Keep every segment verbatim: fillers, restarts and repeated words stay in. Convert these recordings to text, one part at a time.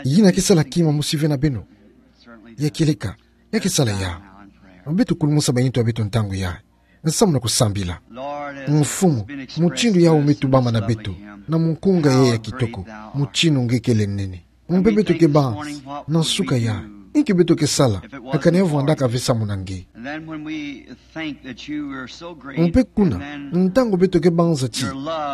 Yina ke sala kima mosi ve na beno? Ya kieleka, ya ke sala ya. Beto kulumusa ba ntu ya beto ntangu ya, nsamu na kusambila. Mfumu, mutindu yawu me tubama na beto, na munkunga yayi ya kitoko, mutinu nge kele nene. Mpe beto ke banzi, na nsuka ya, inki beto ke sala, akana ya vwandaka ve samu na nge. Mpe kuna, ntangu beto ke banza ti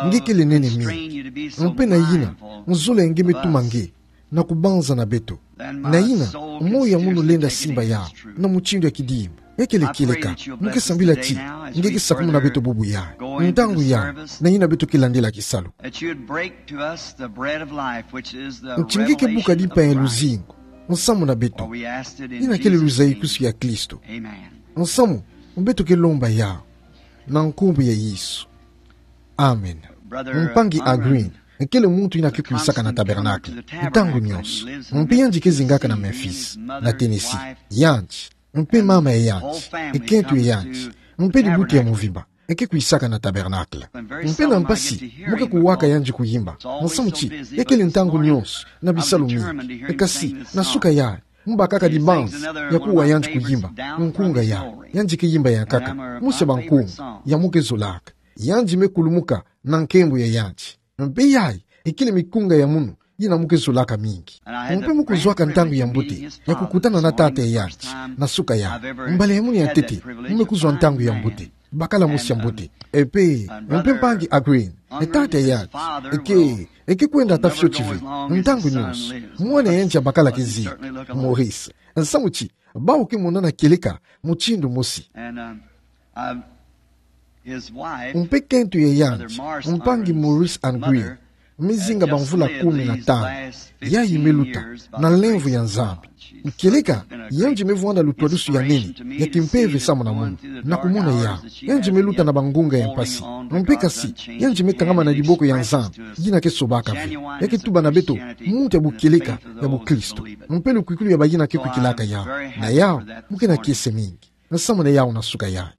nge kele nene mingi, mpe na yina nzolele nge me tuma nge na kubanza na beto, na yina moyo ya munu lenda simba ya na mutindu ya kidimbu. Ya kele kieleka, mu ke sambila ti nge ke sakumuna beto bubu ya, ntangu ya, na yina beto ke landila kisalu. Ti nge ke buka dimpa ya luzingu nsamu na beto. Yina kele luzaikusu ya Kristo. Nsamu, beto ke lomba ya na nkumbu ya Yesu. Amen. Mpangi Agrin kele muntu yina ke kwisaka na tabernacle ntangu nionso. Mpe yandi ke zingaka na Memphis, na Tennessee. Yandi, mpe mama ya yandi, kento ya yandi, mpe dibuti ya mvimba ke kwisaka na tabernacle. Mpe na mpasi mu ke kuwaka yandi kuyimba, nsamu ti ya kele ntangu nionso na bisalu mingi. Kasi na nsuka ya, mu bakaka dibanzi ya kuwa yandi kuyimba, nkunga ya yandi ke yimba ya nkaka mosi ya bankunga ya mu ke zolaka. Yandi me kulumuka na nkembo ya yandi. Mpe yayi kele mikunga ya munu yina mu ke zolaka mingi. Mpe mu kuzwaka ntangu ya mbote ya kukutana na tata ya yandi na nsuka ya. Mbala ya munu ya ntete mu me kuzwa ntangu ya mbote, bakala mosi ya mbote. Mpe, mpe mpangi Agrin, tata ya yandi ke, ke kwenda ata fioti ve. Ntangu nionso mwana ya yandi ya bakala ke zika, Maurice. Nsamu ti bawu ke monana kieleka mutindu mosi. Mpe kento ya yandi, mpangi Maurice Agrin, me zinga bamvula kumi na tanu. Yayi me luta na nlemvo ya Nzambi. Kieleka, yandi me vwanda lutwadusu ya nene ya kimpeve samu na munu. Na kumona yawu, yandi me luta na bangunga ya mpasi. Mpe kasi, yandi me kangama na diboko ya Nzambi yina ke sobaka ve. Ya ke tuba na beto muntu ya bukieleka ya bukristo, mpe lukwikwilu ya bayina ke kwikilaka yawu. Na yawu, mu ke na kiese mingi nsamu na yawu na nsuka ya.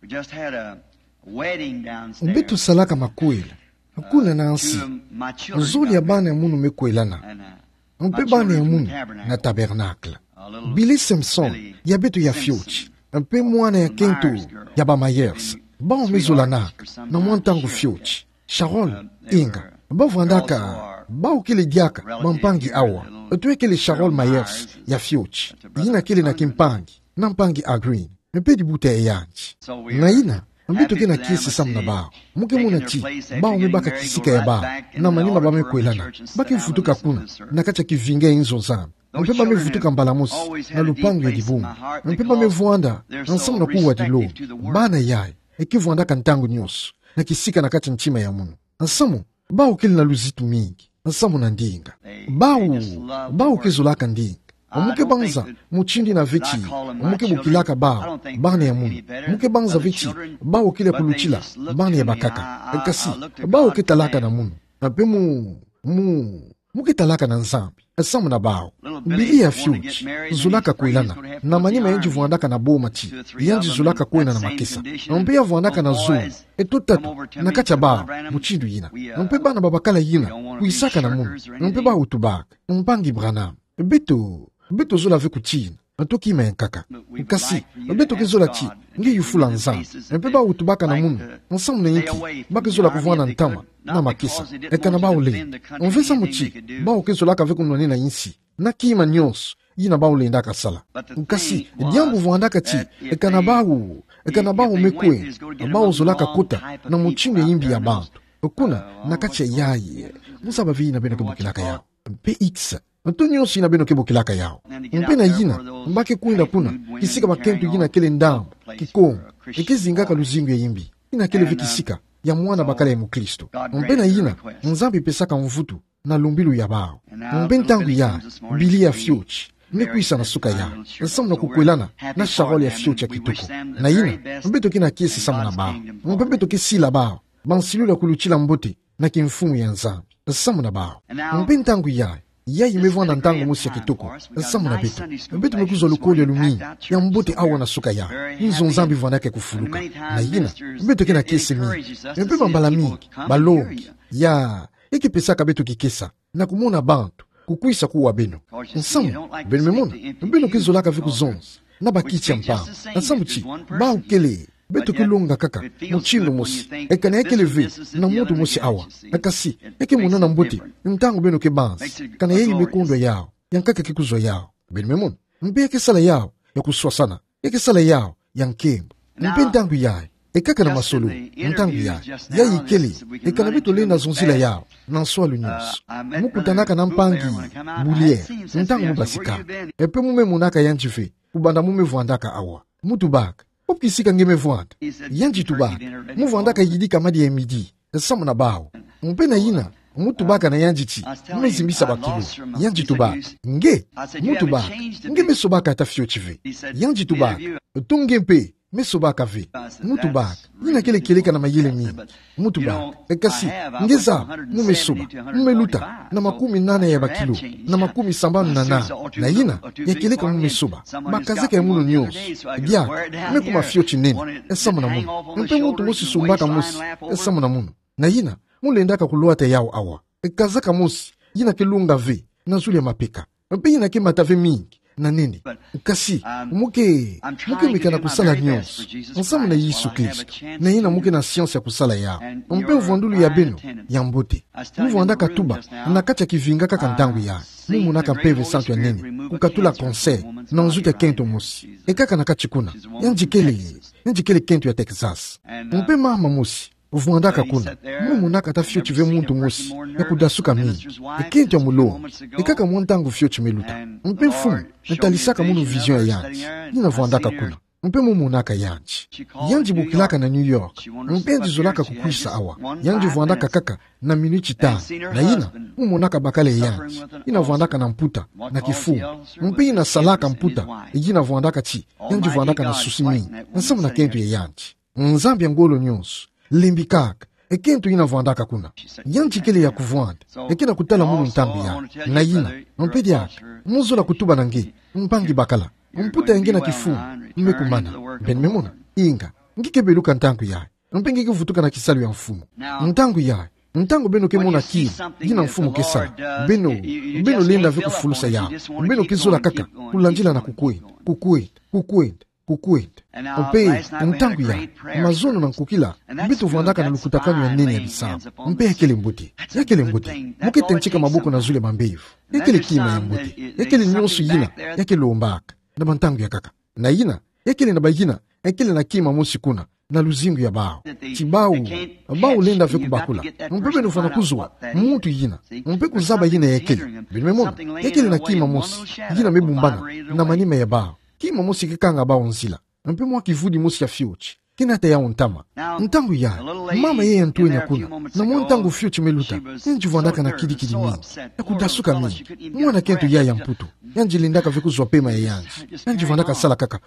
Beto salaka makwela kuna na nsi, zole ya bana ya munu me kwelana. Mpe bana ya munu na tabernacle. Billy Simpson, ya beto ya fioti, mpe mwana ya kento ya ba Myers, bawu me zolanaka na mwa ntangu fioti. Charol, inga, ba vwandaka, bawu kele diaka bampangi awa. Eto ya kele Charol Myers ya fioti, yina kele na kimpangi na mpangi Agrin, mpe dibuta ya yandi. Na yina, beto ke na kiese samu na bawu. Mu ke mona ti bawu me baka kisika ya bawu na manima ba me kwelana. Ba ke vutuka kuna na kati ya kivinga ya inzo Nzambi. Mpe ba me vutuka mbala mosi na lupangu ya dibungu. Mpe ba me vwanda nsamu na kuwa dilombo. Bana yayi ke vwandaka ntangu nionso na kisika na kati ya ntima ya munu. Nsamu, bawu kele na luzitu mingi nsamu na ndinga. Bawu, bawu ke zolaka ndinga. Mu ke banza mutindu yina ve ti mu ke bokilaka bawu bana ya munu. Mu ke banza ve ti bawu kele ya kulutila bana ya bakaka. Kasi bawu ke talaka na munu. Mpe mu, mu, mu ke talaka na Nzambi samu na bawu. Billy ya fioti zolaka kwelana na manima yandi vwandaka na boma ti yandi zolaka kwenda na makesa. Mpe ya vwandaka na zole eto tatu na kati ya bawu mutindu yina. Mpe bana babakala yina kwisaka na munu. Mpe bawu tubaka, mpangi Branham, beto, beto zola ve kutina, nto kima ya nkaka. Kasi beto ke zola ti nge yufula Nzambi. Mpe bawu tubaka na munu nsamu na inki ba ke zola kuvwanda ntama na makesa. Ekana bawu lenda, mve samu ti bawu ke zolaka ve kunwanina insi na kima nionso yina bawu lendaka sala. Kasi diambu vwandaka ti, ekana bawu, ekana bawu me kwenda, bawu zolaka kota na mutindu ya imbi ya bantu kuna na kati ya yayi, mu zaba ve yina beno ke bokilaka yawu. Mpe X, nto nionso yina beno ke bokilaka yawu. Mpe na yina, ba ke kwenda kuna kisika bakento yina kele ndambu Kikongo, e ke zingaka luzingu ya imbi. Yina kele ve kisika ya mwana bakala ya mukristo. Mpe na yina, Nzambi pesaka mvutu na lumbilu ya bawu. Mpe ntangu yayi, Billy ya fioti me kwisa na suka yayi nsamu na kukwelana na Charol ya fioti ya kitoko. Na yina, beto ke na kiese samu na bawu. Mpe beto ke sila bawu bansilulu ya kulutila mbote na kimfumu ya Nzambi nsamu na bawu. Mpe ntangu yayi, yayi me vwanda ntangu mosi ya kitoko nsamu na beto. Beto me kuzwa lukolo ya lumingu ya mbote awa na suka yayi, inzo Nzambi vwandaka ya kufuluka. Na yina, beto ke na kiese mingi. Mpe bambala mingi balongi ya, e ke pesaka beto kikesa na kumona bantu kukwisa kuwa beno. Nsamu, beno me mona, beno ke zolaka ve kuzonza na bakiti ya mpangi. Nsamu ti, bau kele, beto ke longa kaka mutindu mosi. Eka na ya kele ve na muntu mosi awa, eka si, ya ke monana mbote ntangu beno ke banzi kana yayi me kondwa yawu, ya nkaka ke kuzwa yawu. Beno me mona, mpe ya ke sala yawu ya kuswasana, ya ke sala yawu ya nkembo. Mpe ntangu yayi, eka kana masolo, ntangu yayi, yayi kele, eka na beto lenda zonzila yawu na nswalu nionso. Mu kutanaka na mpangi, buliere, ntangu mu basika. Mpe mu me monaka yandi ve, kubanda mu me vwandaka awa. Mu tubaka: Pu kisika nge me vwanda? Yandi tubaka: Mu vwandaka yidika madi ya midi, samu na bau. Mpe na yina, mu tubaka na yandi ti, mu me zimbisa bakilo. Yandi tubaka: Nge? Mu tubaka: Nge me sobaka ata fioti ve. Yandi tubaka: To nge mpe me sobaka ve. Mu tubaka: Yina kele kieleka na mayele mingi. Mu tubaka: Eka si, nge zaba, mu me soba, mu me luta na makumi nana ya bakilo, na makumi sambanu na nana, na yina ya kieleka mu me soba, bakazeka ya munu nionso. Diaka, me kuma fioti nene, samu na munu. Mpe muntu mosi sumbaka mosi, samu na munu. Na yina, mu lendaka kulwata yawu awa. Kazaka mosi, yina ke longa ve na zulu ya mapeka. Mpe yina ke mata ve mingi na nene. Kasi, mu ke, mu ke meka na kusala nionso nsamu na Yesu Kristo. Na yina mu ke na siansi ya kusala yawu. Mpe mvwandulu ya beno ya mbote. Mu vwandaka tuba na kati ya kivinga kaka ntangu yayi. Mu monaka Mpeve Santu ya nene kukatula cancer na nzuki ya kento mosi. Eka kana kati kuna. Yandi kele, yandi kele kento ya Texas. Mpe mama mosi vwandaka kuna. Mu monaka ata fioti ve muntu mosi ya kudasuka mingi. Kento ya mulongi. Eka ka mwa ntangu fioti me luta. Mpe Mfumu natalisaka munu vision ya yandi. Yina vwandaka kuna. Mpe mu monaka yandi. Yandi bokilaka na New York. Mpe yandi zolaka kukwisa awa. Yandi vwandaka kaka na minuti tanu. Na yina, mu monaka bakala ya yandi. Yina vwandaka na mputa, na kifunga. Mpe yina salaka mputa, yina vwandaka ti, yandi vwandaka na susi mingi nsamu na kento ya yandi. Nzambi ya ngolo nionso, lembikaka, e kento yina vwandaka kuna. Yandi kele ya kuvwanda, e ke na kutala munu ntangu yayi. Na yina, mpe diaka, mu zola kutuba na nge, mpangi bakala, mputa ya nge na kifunga me kumana. Beno me mona, inga, nge ke beluka ntangu yayi. Mpe nge ke vutuka na kisalu ya Mfumu. Ntangu yayi, ntangu beno ke mona kima yina Mfumu ke sala, beno, beno lenda ve kufulusa yawu. Beno ke zola kaka kulandila na kukwenda, kukwenda, kukwenda, kukwenda. Mpe ntangu yayi, mazono na nkukila, beto vwandaka na lukutakanu ya nene ya bisambu. Mpe ya kele mbote, ya kele mbote. Mu ke tentika maboko na zulu ya bambevo. Ya kele kima ya mbote. Ya kele nionso yina ya ke lombaka na bantangu ya nkaka. Na yina, ya kele na bayina, ya kele na kima mosi kuna na luzingu ya bau. Ti bau, bau lenda ve kubakula. Mpe beno fwana kuzwa muntu yina, mpe kuzaba yina ya kele. Beno me mona, ya kele na kima mosi yina me bumbana na manima ya bau. Kima mosi ke kanga bau nzila. Mpe mwa kivudi mosi ya fioti ke nata yawu ntama. Ntangu yayi, mama yayi ya ntwenya kuna, na mwa ntangu fioti me luta, yandi vwandaka na kidikidi mingi, ya kudasuka mingi. Mwana kento yayi ya mputu, yandi lendaka ve kuzwa pema ya yandi. Yandi vwandaka sala kaka.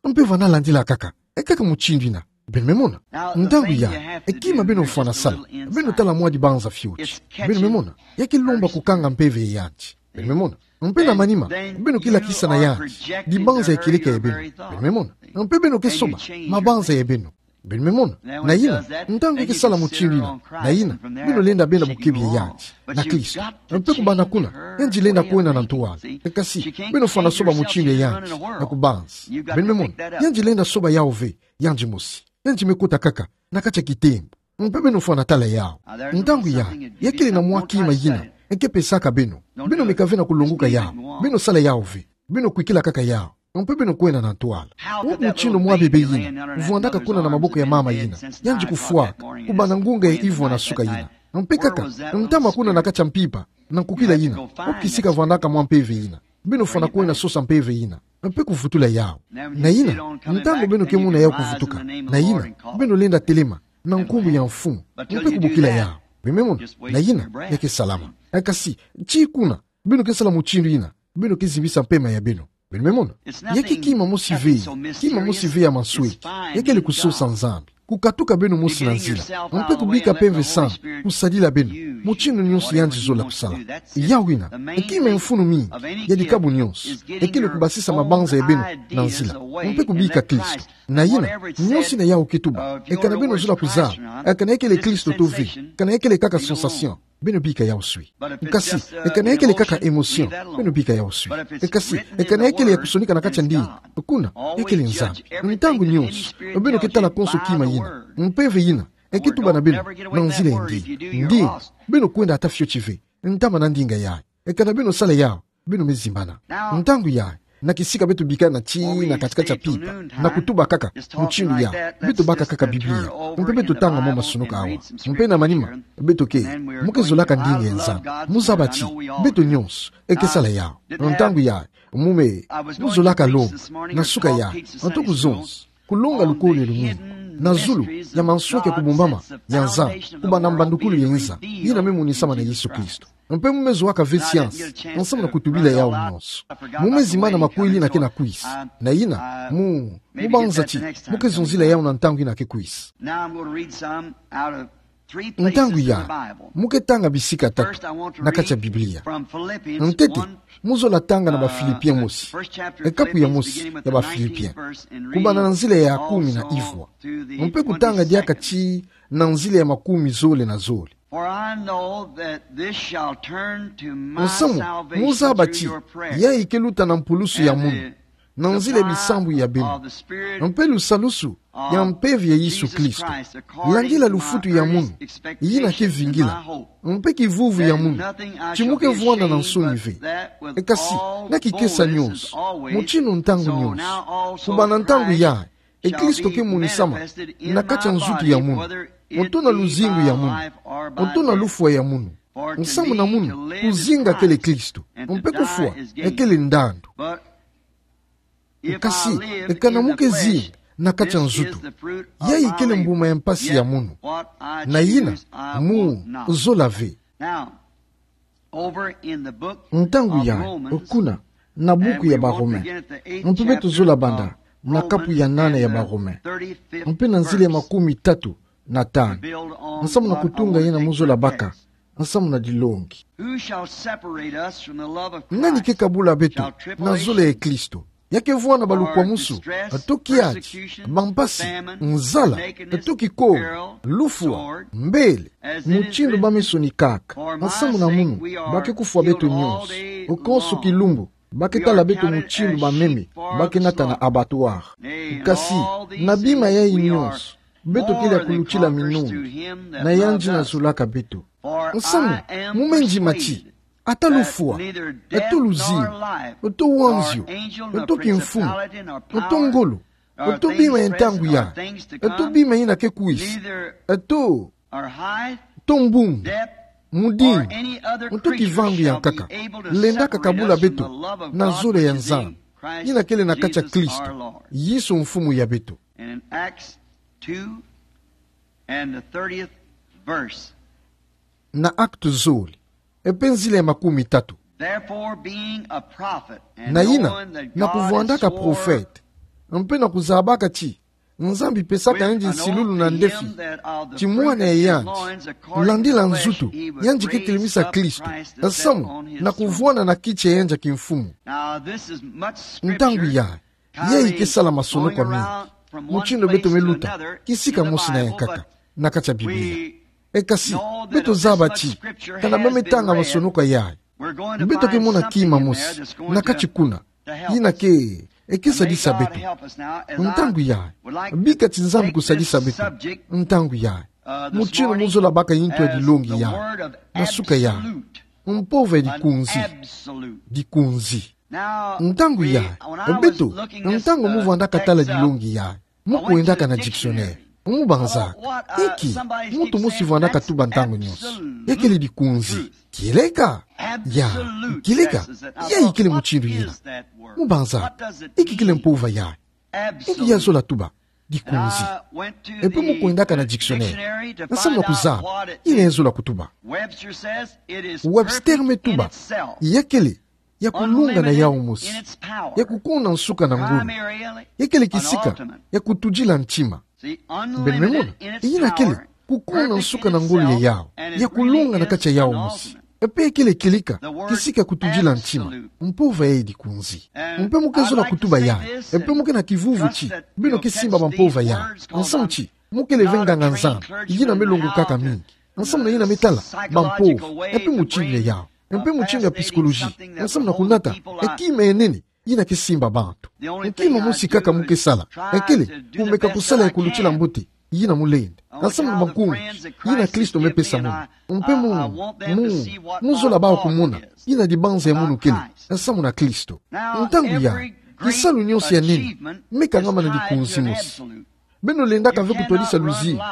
Mpe vwanda landila kaka. E kaka mutindu yina. Beno me mona. Ntangu yayi, e kima beno fwana sala, beno tala mwa dibanza fioti. Beno me mona. Ya ke lomba kukanga mpeve ya yandi. Beno me mona. Mpe na manima, beno ke lakisa na yandi dibanza ya kieleka ya beno. Beno me mona. Mpe beno ke soba mabanza ya beno. Beno me mona. Na yina, ntangu ya ke sala mutindu yina, na yina, beno lenda benda bukebi ya yandi na Kristo. Mpe kubanda kuna, yandi lenda kwenda na ntwala. Kasi, beno fwana soba mutindu ya yandi na kubanza. Beno me mona. Yandi lenda soba yawu ve yandi mosi. Yandi me kota kaka na kati ya kitembo. Mpe beno fwana tala yawu. Ntangu yayi, ya kele na mwa kima yina e ke pesaka beno. Beno meka ve na kulongoka yawu. Beno sala yawu ve. Beno kwikila kaka yawu. Mpe beno kwenda na ntwala. Wapi mutindu mwa bebe yina vwandaka kuna na maboko ya mama yina, yandi kufwaka kubanda ngunga ya ivwa na suka yina? Mpe kaka ntama kuna na kati ya mpimpa na nkukila yina, wapi kisika vwandaka mwa mpeve yina? Beno fwana kwenda sosa mpeve yina mpe kuvutula yawu. Na yina, ntangu beno ke mona yawu kuvutuka, na yina, beno lenda telema na nkumbu ya Mfumu mpe kubokila yawu. Beno me mona. Na yina, ya ke salama. Kasi, tii kuna beno ke sala mutindu yina, beno ke zimbisa mpema ya beno. Beno me mona. Ya ke kima mosi ve, kima mosi ve ya mansweki. Ya kele kusosa Nzambi. kukatuka beno mosi na nzila, mpe kubika pemve sa kusadila beno, mutindu nionso yandi zola kusala. Yawu ina, ekima e mfunu mingi ya dikabu nionso, ekele kubasisa mabanza ya beno na nzila, mpe kubika Kristo. Na yina, nionso ina yawu ke tuba, e kana beno zola kuzaba, e kana ekele Kristo to ve, kana ekele kaka sensation, beno bika yawu swi. Kasi, e kana ekele kaka émotion, beno bika yawu swi. E kasi, e kana ekele ya kusonika na kati ya ndinga, kuna, ekele Nzambi. Ntangu nionso, beno ke tala konso kima yina, mpeve yina, e ke tuba na beno, na nzila ya ndinga. Ndinga, beno kwenda ata fioti ve, ntama na ndinga yayi. E kana beno sala yawu, beno me zimbana. Ntangu yayi, na kisika beto bikana ti na kati-kati ya pipa, na kutuba kaka mutindu yawu, beto baka kaka Biblia, mpe beto tanga mwa masonoka awa. Mpe na manima, beto ke, mu ke zolaka ndinga ya Nzambi, mu zaba ti, beto nionso, e ke sala yawu. Ntangu yayi, mu me, mu zolaka lomba, na suka yayi, nto kuzonza, kulonga lukole lumingi, na zulu, ya mansweki ya kubumbama, ya Nzambi, kubanda mbandukulu ya inza, yina me monisama na Yesu Kristo. Mpe mu me zoaka ve siansi, nsamu na kutubila yawu nionso. Mu me zimbana makweli ina ke na kwisa. Na yina, mu, mu banza ti, mu ke zonzila yawu na ntangu ina ke kwisa. Now I'm going to read some out of three places in the Bible. Ntangu yayi, mu ke tanga bisika tatu, na kati ya Biblia. First, I want to read from Philippians one, uh, the first chapter of Philippians, beginning with the nineteenth verse and reading all through the end. Ntete, mu zola tanga na Bafilipi mosi, ekapu ya mosi ya Bafilipi. Kubanda na nzila ya kumi na ivwa. Mpe kutanga diaka ti na nzila ya makumi zole na zole. For I know that this shall turn to my salvation through your prayers. Nsamu, mu zaba ti, yayi ke luta na mpulusu ya munu, na nzila ya bisambu ya beno, mpe lusalusu ya mpeve ya Yesu Kristo, landila lufutu ya munu, yina ke vingila, mpe kivuvu ya munu, ti mu ke vwanda na nsoni ve. E kasi, na kikesa nionso, mutindu ntangu nionso, kubanda ntangu yayi, e Kristo ke monisama na kati ya nzutu ya munu, nto na luzingu ya munu, nto na lufwa ya munu. Nsamu na munu, kuzinga kele Kristo, mpe kufwa, ekele ndandu. Kasi, e kana mu ke zinga na kati ya nzutu, yayi kele mbuma ya mpasi ya munu. Na yina, mu zola ve. Ntangu yayi, kuna, na buku ya Barome. Mpe beto zola banda na kapu ya nana ya Barome, mpe na nzila ya makumi tatu na tanu. Nsamu na kutunga yina mu zola baka, nsamu na dilongi. Who shall separate us from the love of Christ? Nani ke kabula beto na zole ya Kristo? Ya ke vwanda balukwamusu, to kiadi, bampasi, nzala, to kikolo, lufwa, mbele, mutindu ba me sonikaka. Nsamu na munu, ba ke kufwa beto nionso. Konso kilumbu, ba ke tala beto mutindu bameme ba ke nata na abattoir. Kasi, na bima yayi nionso, beto kele ya kulutila minungi na yandi na zolaka beto. Nsamu, mu me ndima ti, ata lufwa, to luzingu, to wanzio, to kimfumu, to ngolo, to bima ya ntangu yayi, to bima yina ke kwisa, to, to mbungu, mudingu, to kivangu ya nkaka, lenda ka kabula beto na zole ya Nzambi, yina kele na kati ya Kristo Yesu Mfumu ya beto. And in Acts two and the thirtieth verse. Na Actes zole, e mpe nzila ya makumi tatu. Therefore, being a prophet, and knowing that God was raising up. Na yina, na kuvwandaka profete, mpe na kuzabaka ti, Nzambi pesaka yandi nsilulu na ndefi, ti mwana ya yandi, landila nzutu, yandi ke telemisa Kristo, nsamu na kuvwanda na kiti ya yandi ya kimfumu. Ntangu yayi, yayi ke sala masonoko mingi, mutindu beto me luta kisika mosi na ya nkaka na kati ya Biblia. E kasi, beto zaba ti, kana ba me tanga masonoko yayi, beto ke mona kima mosi na kati kuna, yina ke, e ke sadisa beto. Ntangu yayi, bika ti Nzambi kusadisa beto. Ntangu yayi, mutindu mu zola baka yintu ya dilongi yayi, na suka yayi, mpova ya dikunzi. Dikunzi. Ntangu yayi, beto, ntangu mu vwandaka tala dilongi yayi, mu kwendaka na dictionnaire, mu banzaka, inki muntu mosi vwandaka tuba ntangu nionso, ya kele dikunzi? Kieleka? Ya, kieleka? Yayi kele mutindu yina? Mu banzaka, inki kele mpova yayi? Inki ya zola tuba dikunzi? E mpe mu kwendaka na dictionnaire, nsamu na kuzaba yina ya zola kutuba. Webster me tuba, ya kele ya kulunga na yawu mosi, ya kukuna nsuka na ngolo, ya kele kisika ya kutudila ntima. Beno me mona, yina kele kukuna nsuka na ngolo ya yawu, ya kulonga na kati ya yawu mosi. E pe kele kilika, kisika kutudila ntima, mpova ya dikunzi. Mpe mo ke zola kutuba yayi, e pe mo ke na kivuvu ti beno ke simba bampova yayi. Nsamu ti, mo kele ve nganga-nzambi yina me longokaka mingi. Nsamu na yina me tala bampova, e pe mutindu ya yawu, e pe mutindu ya psychologie. Nsamu na kunata e kima ya nene yina ke simba bantu. Kima mosi kaka mo ke sala, e kele kumeka kusala ya kulutila mbote yina mo lenda. Nsamu na bankunzi yina Kristo me pesa mono. Mpe mo, mo, mo zola bau kumona yina dibanza ya mono kele nsamu na Kristo. Ntangu yayi, kisalu nionso ya nene me kangama na dikunzi mosi. Beno lendaka ve kutwadisa luzingu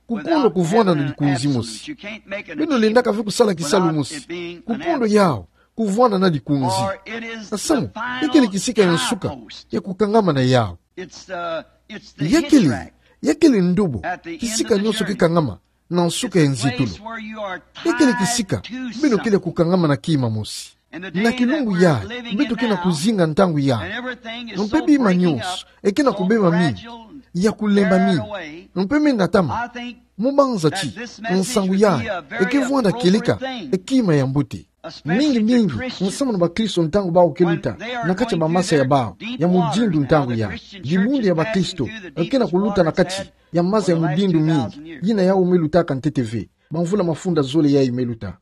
kukondo kuvwanda na dikunzi mosi. Beno lendaka ve kusala kisalu mosi kukondo yawu kuvwanda na dikunzi. Nsamu, e kele kisika ya nsuka ya kukangama na yawu. Ya kele, ya kele ndobo kisika nionso ke kangama na nsuka ya nzitulu. E kele kisika beno kele ya kukangama na kima mosi. Na kilumbu yayi beto ke na kuzinga ntangu yayi, mpe bima nionso e ke na kubeba mingi, ya kulemba mingi, mpe me natama. Mo banza ti nsangu yayi e ke vwanda kilika e kima ya mbote. Mingi mingi nsamu na bakristo ntangu bau ke luta na kati ya bamasa ya bau ya mudindu ntangu yayi, dibundu ya bakristo e ke na kuluta na kati ya masa ya mudindu mingi yina yawu me lutaka ntete ve bamvula mafunda zole yayi me luta.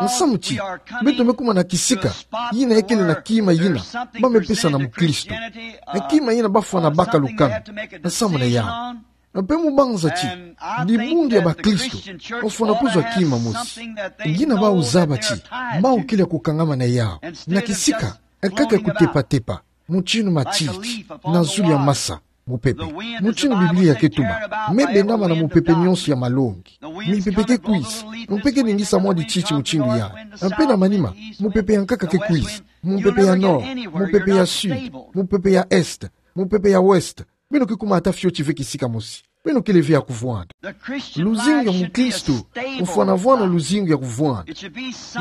Nsamu ti beto me kuma na kisika yina e kele na kima yina ba me pesa na mukristo, e kima yina ba fwana baka lukanu nsamu na yawu. Mpe mo banza ti dibundu ya bakristo ofwana kuzwa kima mosi. Yina bau zaba ti bau kele ya kukangama na yawu na kisika e kaka kutepa-tepa, mutindu matiti na zulu ya masa, mupepe. Mutindu Biblia ke tuba, me bendama na mupepe nionso ya malongi. Mipepe ke kwiza, mpe ke ningisa mwa dititi mutindu yayi. Mpe na manima, mupepe ya nkaka ke kwiza, mupepe ya nord, mupepe ya sud, mupepe ya est, mupepe ya ouest. Beno ke kuma ata fioti ve kisika mosi. Beno kele ve ya kuvwanda. Luzingu ya mukristo ofwana vwanda luzingu ya kuvwanda.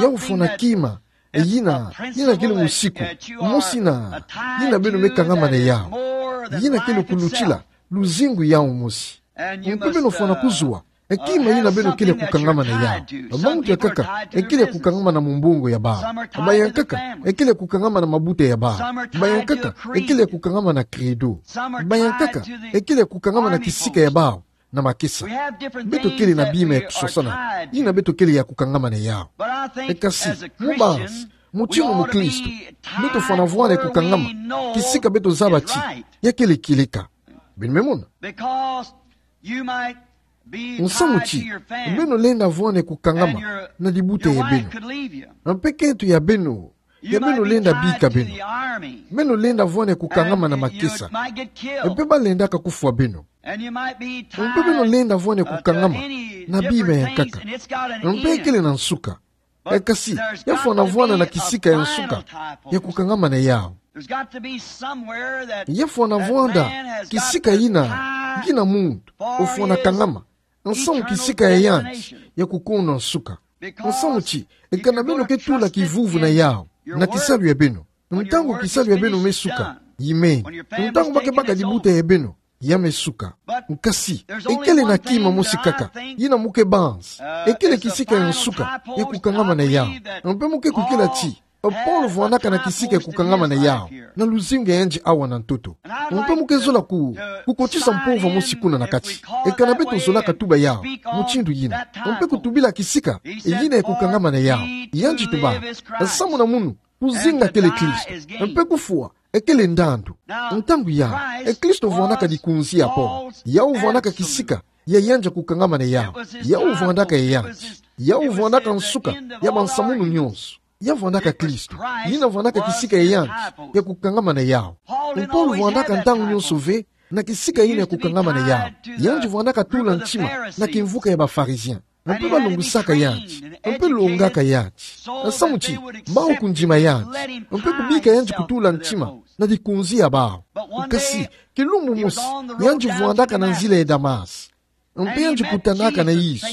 Yawu ofwana kima yina, yina kele musiku mosi na yina beno me kangama na yawu. Yina kele kulutila luzingu yawu mosi. Mpe beno fwana kuzwa e kima yina beno kele ya kukangama na yawu. Bamuntu ya nkaka e kele ya kukangama na mumbongo ya bau. Bayankaka e kele ya kukangama na mabuta ya bau. Bayankaka e kele ya kukangama na credo. Bayankaka e kele ya kukangama na kisika ya bau na makesa. Beto kele na bima ya kuswasana yina beto kele ya kukangama na yawu. E kasi, mo banza, mutindu mukristo, beto fwana vwanda ya kukangama kisika beto zaba ti ya kele kileka. Beno me mona. Nsamu ti beno lenda vwanda ya kukangama na dibuta ya beno. Mpe kento ya beno, ya beno lenda bika beno. Beno lenda vwanda ya kukangama na makesa. Mpe ba lendaka kufwa beno. Mpe beno lenda vwanda ya kukangama na bima ya nkaka. Mpe e kele na nsuka. E kasi, ya fwana vwanda na kisika ya nsuka ya kukangama na yawu. Ya fwana vwanda kisika yina, yina muntu ofwana kangama. Nsamu kisika ya yandi ya kukuna nsuka. Nsamu ti, e kana beno ke tula kivuvu na yawu na kisalu ya beno, ntangu kisalu ya beno me suka, yimeni. Ntangu ba ke baka dibuta ya beno, ya me suka. Kasi e kele na kima mosi kaka yina mo ke banza e kele kisika ya nsuka ya kukangama na yawu. Mpe mo ke kukila ti Paulo vwandaka na kisika ya kukangama na yawu na luzingu ya yandi awa na ntoto. Mpe mo ke zola ku, kukotisa mpova mosi kuna na kati. E kana beto zolaka tuba yawu mutindu yina, mpe kutubila kisika yina ya kukangama na yawu, yandi tuba: Nsamu na munu, kuzinga kele Kristo, mpe kufwa e kele ndandu. Ntangu yayi, e Kristo vwandaka dikunzi ya Paulo. Yawu vwandaka kisika ya yandi ya kukangama na yawu. Yawu vwandaka ya yandi. Yawu vwandaka nsuka ya bansamunu nyonso. Ya vwandaka Kristo. Yina vwandaka kisika ya yandi ya kukangama na yawu. Paulo vwandaka ntangu nyonso ve na kisika yina ya kukangama na yawu. Yandi vwandaka tula ntima na kimvuka ya ba Pharisiens. Mpe balungusaka yandi, mpe longaka yandi. Nsamu ti bawu kundima yandi, mpe kubika yandi kutula ntima na dikunzi ya bawu. Kasi, kilumbu mosi, yandi vwandaka na nzila ya Damas. Mpe yandi kutanaka na Yesu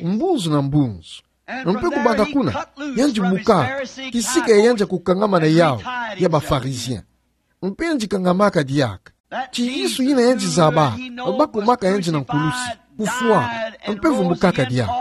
mbunzu na mbunzu. Mpe kubanda kuna, yandi bukaka kisika ya yandi ya kukangama na yawu ya ba Pharisiens. Mpe yandi kangamaka diaka. Ti Yesu yina yandi zaba, bakumaka yandi na nkulusi, kufwa, mpe vumbukaka diawu.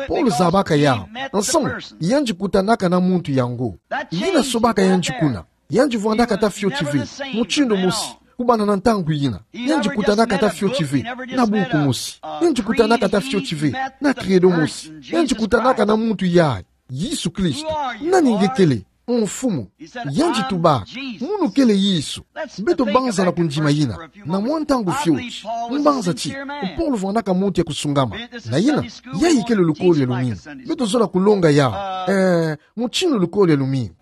Paulo zabaka yawu, nsamu, yandi kutanaka na muntu yango. Yina sobaka yandi kuna. Yandi vwandaka tata fioti ve, mutindu mosi, kubanda na ntangu yina. Yandi kutanaka tata fioti ve, na bunku mosi. Yandi kutanaka tata fioti ve, na credo mosi. Yandi kutanaka na muntu yayi, Yesu Kristo. Nani nge kele? Mfumu. Yandi tuba, munu kele Yesu. Beto banza na kundima yina, na mwa ntangu fioti. Mbanza ti, Paulo vwandaka muntu ya kusungama. Na yina, yayi kele lukolo ya lumingu. Beto zola kulonga yawu. Eh, mutindu lukolo ya lumingu.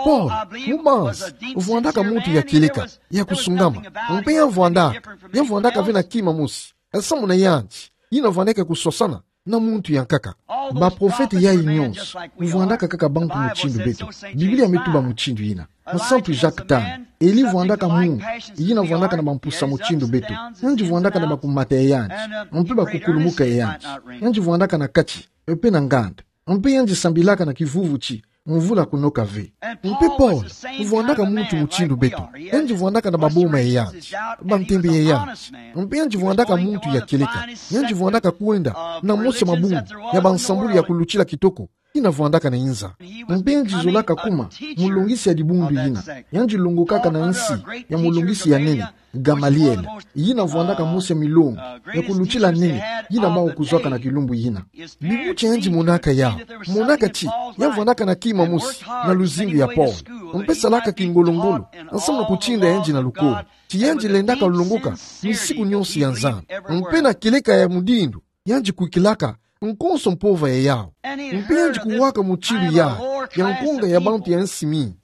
Paulo, mu banza, vwandaka muntu ya kieleka, ya kusungama. Mpe ya vwandaka, ya vwandaka ve na kima mosi. Nsamu na yandi, yina vwandaka kuswasana na muntu ya nkaka. Baprofete yayi nyonso, vwandaka kaka bantu mutindu beto. Biblia me tuba mutindu yina. Nsantu Jacques Tang, Elie vwandaka muntu, yina vwandaka na bampusa mutindu beto. Yandi vwandaka na bakumata ya yandi, mpe bakukulumuka ya yandi. Yandi vwandaka na kati, mpe na nganda. Mpe yandi sambilaka na kivuvu ti mvula kunoka ve. Mpe Paulo, vwandaka muntu mutindu beto. Yandi vwandaka na baboma ya yandi, bantembe ya yandi. Mpe yandi vwandaka muntu ya kieleka. Yandi vwandaka kwenda na mosi ya mabundu ya bansambulu ya kulutila kitoko, yina vwandaka na inza. Mpe yandi zolaka kuma mulongisi ya dibundu yina. Yandi longokaka na nsi ya mulongisi ya nene, Gamaliel, yina vwandaka mosi ya milongo ya kulutila nene, yina bawu kuzwaka na kilumbu yina. Bibuti yandi monaka yawu, monaka ti ya vwandaka na kima mosi na luzingu ya Paulo. Mpe salaka kingolo-ngolo, nsamu na kutinda yandi na lukolo. Ti yandi lendaka longoka misiku nyonso ya Nzambi. Mpe na kieleka ya mutindu, yandi kwikilaka nkonso mpova ya yawu. Mpe yandi kuwaka mutindu yayi ya nkonga ya bantu ya nsi mingi.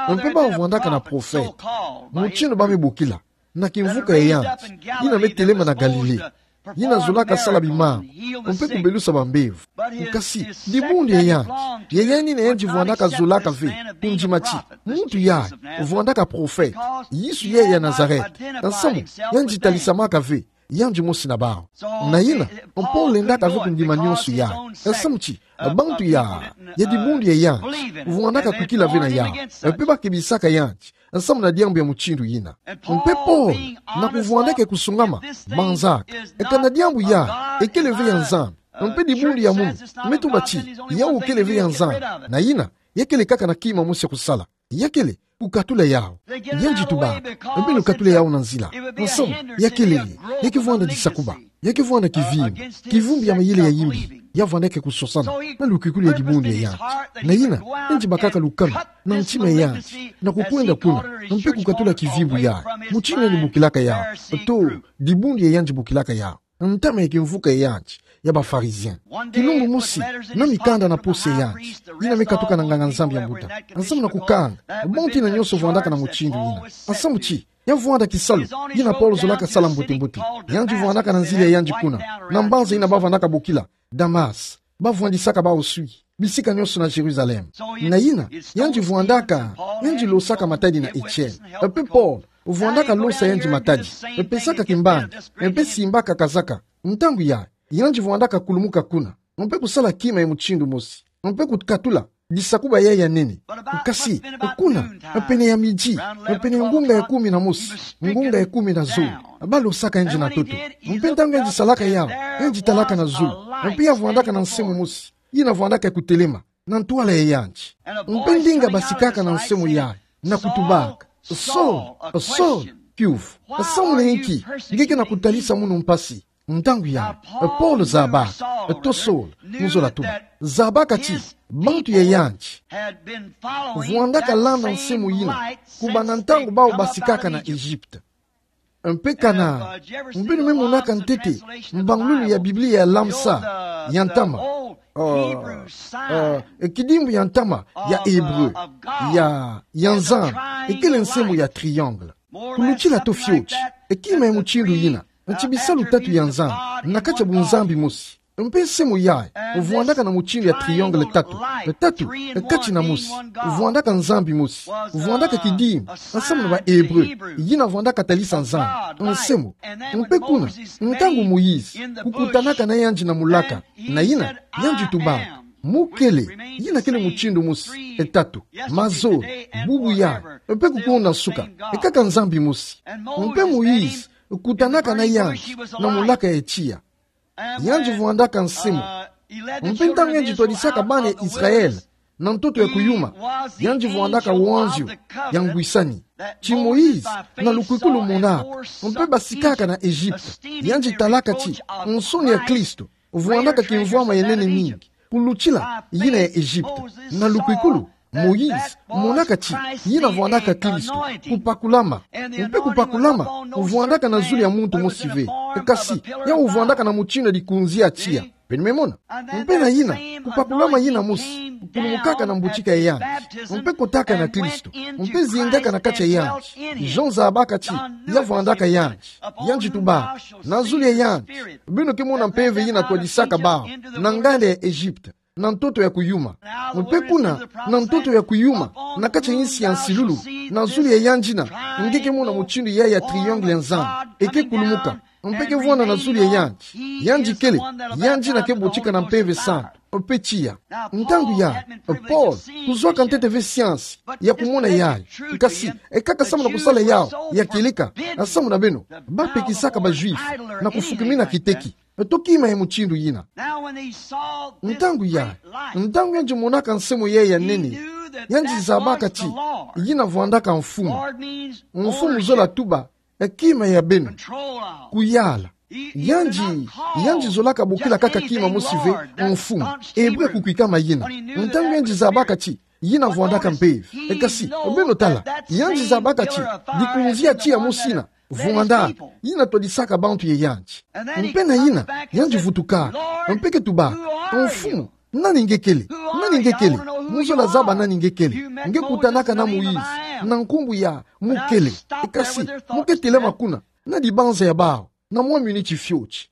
Mpe bawu vwandaka na profete, mutindu ba me bokila, na kimvuka ya yandi, yina me telema na Galilée, yina zolaka sala bimambu, mpe kubelusa bambevo. Kasi, dibundu ya yandi, ya yandi yina yandi vwandaka zolaka ve kundima ti muntu yayi vwandaka profete, Yesu yayi ya Nazareth. Nsamu, yandi talisamaka ve yandi mosi na bawu. Na yina, Paulo lendaka ve kundima nyonso yayi. Nsamu ti bantu ya, ya dibundu ya yandi, vwandaka kwikila ve na yawu, mpe ba kebisaka yandi nsamu na diambu ya mutindu yina. Mpe Paulo, na kuvwandaka ya kusungama, manzaka, kana diambu yayi ekele ve ya Nzambi, mpe dibundu ya munu me tuba ti yawu kele ve ya Nzambi, na yina, ya kele kaka na kima mosi ya kusala. Ya kele kukatula yawu. Yandi tuba, mpe lukatula yawu na nzila. Nsamu, ya kelele, ya ke vwanda disakuba, ya ke vwanda kivimbu, kivimbu ya mayele ya yimbi, ya vwandaka kuswasana na lukwikulu ya dibundu ya yandi. Na yina, yandi bakaka lukanu na ntima ya yandi, na kukwenda kuna, mpe kukatula kivimbu yayi. Mutindu yandi bokilaka yawu, to, dibundu ya yandi bokilaka yawu, ntama ya kimvuka ya yandi ya ba Pharisiens. Kilumbu mosi, na mikanda na poso ya yandi, yina me katuka na nganga-Nzambi ya mbuta, nsamu na kukanga bantu yina nyonso vwandaka na mutindu yina. Nsamu ti ya vwanda kisalu yina Paulo zolaka sala mbote-mbote. Yandi vwandaka na nzila ya yandi kuna, na mbanza yina ba vwandaka bokila Damas, ba vwandisaka bawu swi bisika nyonso na Jérusalem. Na yina, yandi vwandaka, yandi losaka matadi na Etienne. Mpe Paulo vwandaka losa yandi matadi, mpe pesaka kimbangi, mpe simbaka kazaka. Ntangu yayi, yandi vwandaka kulumuka kuna, mpe kusala kima ya mutindu mosi, mpe kukatula disakuba yayi ya nene. Kasi, kuna, pene ya midi, pene ya ngonga ya kumi na mosi, ngonga ya kumi na zole, ba losaka yandi na ntoto. Mpe ntangu yandi salaka yawu, yandi talaka na zulu, mpe ya vwandaka na nsemo mosi yina vwandaka kutelema na ntwala ya yandi. Mpe ndinga basikaka na nsemo yayi, na kutubaka: Saul, Saul, kiuvu, samu na inki nge ke na kutalisa munu mpasi? Ntangu yayi, Paulo zabaka, to Saul, mu zola tuba, zabaka ti bantu ya yandi vwandaka landa nsemo yina kubanda ntangu bawu basikaka na Egypte. Mpe kana, mpe nu me monaka ntete mbangululu ya Biblia ya Lamsa, ya ntama, eh, eh, kidimbu ya ntama ya Hébreu, ya, ya Nzambi, ekele nsemo ya triangle. Kulutila to fioti kima ya mutindu yina, nti bisalu tatu ya Nzambi na kati ya bunzambi mosi. Mpe nsemo yayi vwandaka na mutindu ya triangle tatu, tatu kati na mosi, vwandaka Nzambi mosi, vwandaka kidimbu, nsamu na ba Hébreu, yina vwandaka talisa Nzambi, nsemo. Mpe kuna, ntangu Moïse kukutanaka na yandi na mulaka, na yina, yandi tubaka: Mukele, yina kele mutindu mosi, e tatu, mazo, bubu yayi, mpe kuku na nsuka, e kaka Nzambi mosi. Mpe Moïse kutanaka na yandi na mulaka ya tiya. Yandi vwandaka nsemo. Mpe ntangu yandi twadisaka bana ya Israël na ntoto ya kuyuma, yandi vwandaka wanzio ya ngwisani. Ti Moïse na lukwikulu monaka, mpe basikaka na Egypte, yandi talaka ti nsoni ya Kristo vwandaka kimvwama ya nene mingi kulutila yina ya Egypte. Na lukwikulu, Moïse monaka ti yina vwandaka Kristo, kupakulama. Mpe kupakulama vwandaka na zulu ya muntu mosi ve, kasi yawu vwandaka na mutindu ya dikunzi ya tiya. Beno me mona? Mpe na yina, kupakulama yina mosi kulumukaka na mbutika ya yandi, mpe kotaka na Kristo, mpe zingaka na kati ya yandi. Jean zabaka ti ya vwandaka yandi. Yandi tubaka: Na zulu ya yandi beno ke mona mpeve yina twadisaka bawu na nganda ya Egypte, na ntoto ya kuyuma. Mpe kuna, na ntoto ya kuyuma, na kati ya insi ya nsilulu, na zulu ya yandi yina, nge ke mona mutindu yayi ya triangle ya Nzambi e ke kulumuka, mpe ke vwanda na zulu ya yandi. Yandi kele, yandi yina ke butika na Mpeve Santu mpe tiya. Ntangu yayi, Paul kuzwaka ntete ve siansi ya kumona yayi. Kasi e kaka samu na kusala yawu ya kieleka, samu na beno bapekisaka ba Juifs na kufukimina kiteki. Eto kima ya mutindu yina. Ntangu yayi, ntangu yandi monaka nsemo yayi ya nene, yandi zabaka ti yina vwandaka Mfumu. Mfumu zola tuba e kima ya beno, kuyala. Yandi, yandi zolaka bokila kaka kima mosi ve, Mfumu. Ebre kukwikama yina. Ntangu yandi zabaka ti yina vwandaka mpeve. E kasi, beno tala, yandi zabaka ti dikunzi ya tiya mosi yina vwandaka, yina twadisaka bantu ye yandi. Mpe na yina, yandi vutuka, mpe ke tuba: Mfumu, nani nge kele? Nani nge kele? Mu zola zaba nani nge kele. Nge kutanaka na Moïse na nkumbu ya mukele. E kasi, mu ke telama kuna na dibanza ya bawu na mwa miniti fioti.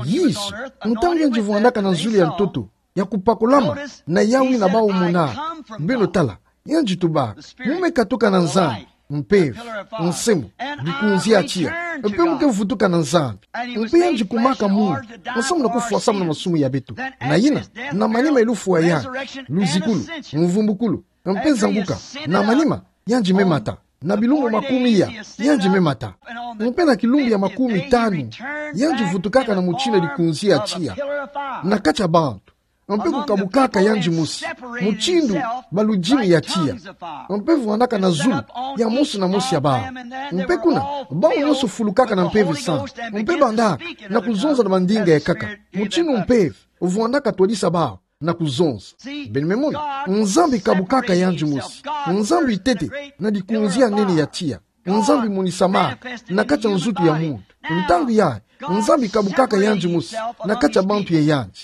Yesu, ntangu yandi vwandaka na zulu ya ntoto ya kupakulama, na yawu yina bawu mona, beno tala, yandi tuba: Mu me katuka na Nzambi, mpeve, nsemo, dikunzi ya tiya, mpe mu ke vutuka na Nzambi. Mpe yandi kumaka muntu, samu na kufwa samu na masumu ya beto. Na yina, na manima ya lufwa yandi, luzikulu, mvumbukulu, mpe nzanguka, na manima, yandi me mata. Na bilumbu makumi iya, yandi me mata. Mpe na kilumbu ya makumi tanu, yandi vutukaka na mutindu ya dikunzi ya tiya na kati ya bantu, mpe kukabukaka yandi mosi, mutindu baludimi ya tiya, mpe vwandaka na zulu ya mosi na mosi ya bawu. Mpe kuna, bawu nyonso fulukaka na Mpeve Santu, mpe bandaka na kuzonza na bandinga ya nkaka, mutindu mpeve vwandaka twadisa bawu na kuzonza. Beno me mona, Nzambi kabukaka yandi mosi. Nzambi tete na dikunzi ya nene ya tiya. Nzambi monisamaka na kati ya nzutu ya muntu. Ntangu yayi, Nzambi kabukaka yandi mosi na kati ya bantu ye yandi.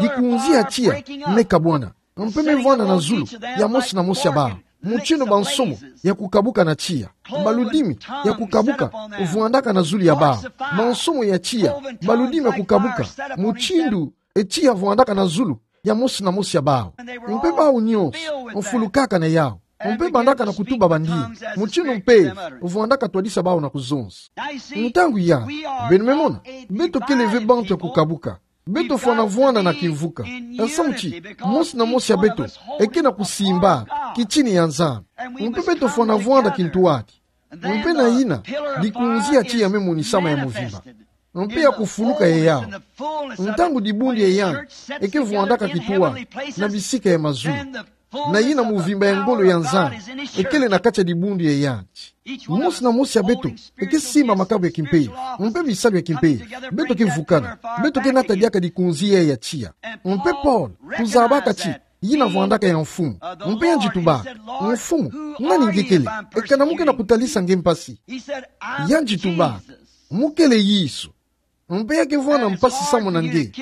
Dikunzi ya tiya me kabwana, mpe me vwanda na zulu ya mosi na mosi ya bawu, mutindu bansomo ya kukabuka na tiya. Baludimi ya kukabuka vwandaka na zulu ya bawu. Bansomo ya tiya, baludimi ya kukabuka, mutindu e tiya vwandaka na zulu ya mosi na mosi ya bawu. Mpe bawu nyonso mfulukaka na yawu, mpe bandaka na kutuba bandinga, mutindu mpeve vwandaka twadisa bawu na kuzonza. Ntangu yayi, beno me mona, beto kele ve bantu ya kukabuka. Beto fwana vwanda na kimvuka, samu ti mosi na mosi ya beto e ke na kusimba kitini ya Nzambi. Mpe beto fwana vwanda kintwadi. Mpe na yina, dikunzi ya tiya me monisama ya muvimba, mpe ya kufuluka ya yawu, ntangu dibundu ya yandi e ke vwandaka kintwadi na bisika ya mazulu, na yina muvimba ya ngolo ya Nzambi e kele na kati ya dibundu ya yandi. Mosi na mosi ya beto e ke simba makabu ya kimpeve, mpe bisalu ya kimpeve. Beto ke vukana, beto ke nata diaka dikunzi ya tiya. Mpe Paul kuzabaka ti yina vwandaka ya Mfumu. Mpe yandi tubaka: Mfumu, nani nge kele, ekana mu ke na kutalisa nge mpasi? Yandi tubaka: Mu kele Yesu. Mpe ya ke vwanda mpasi samu na nge,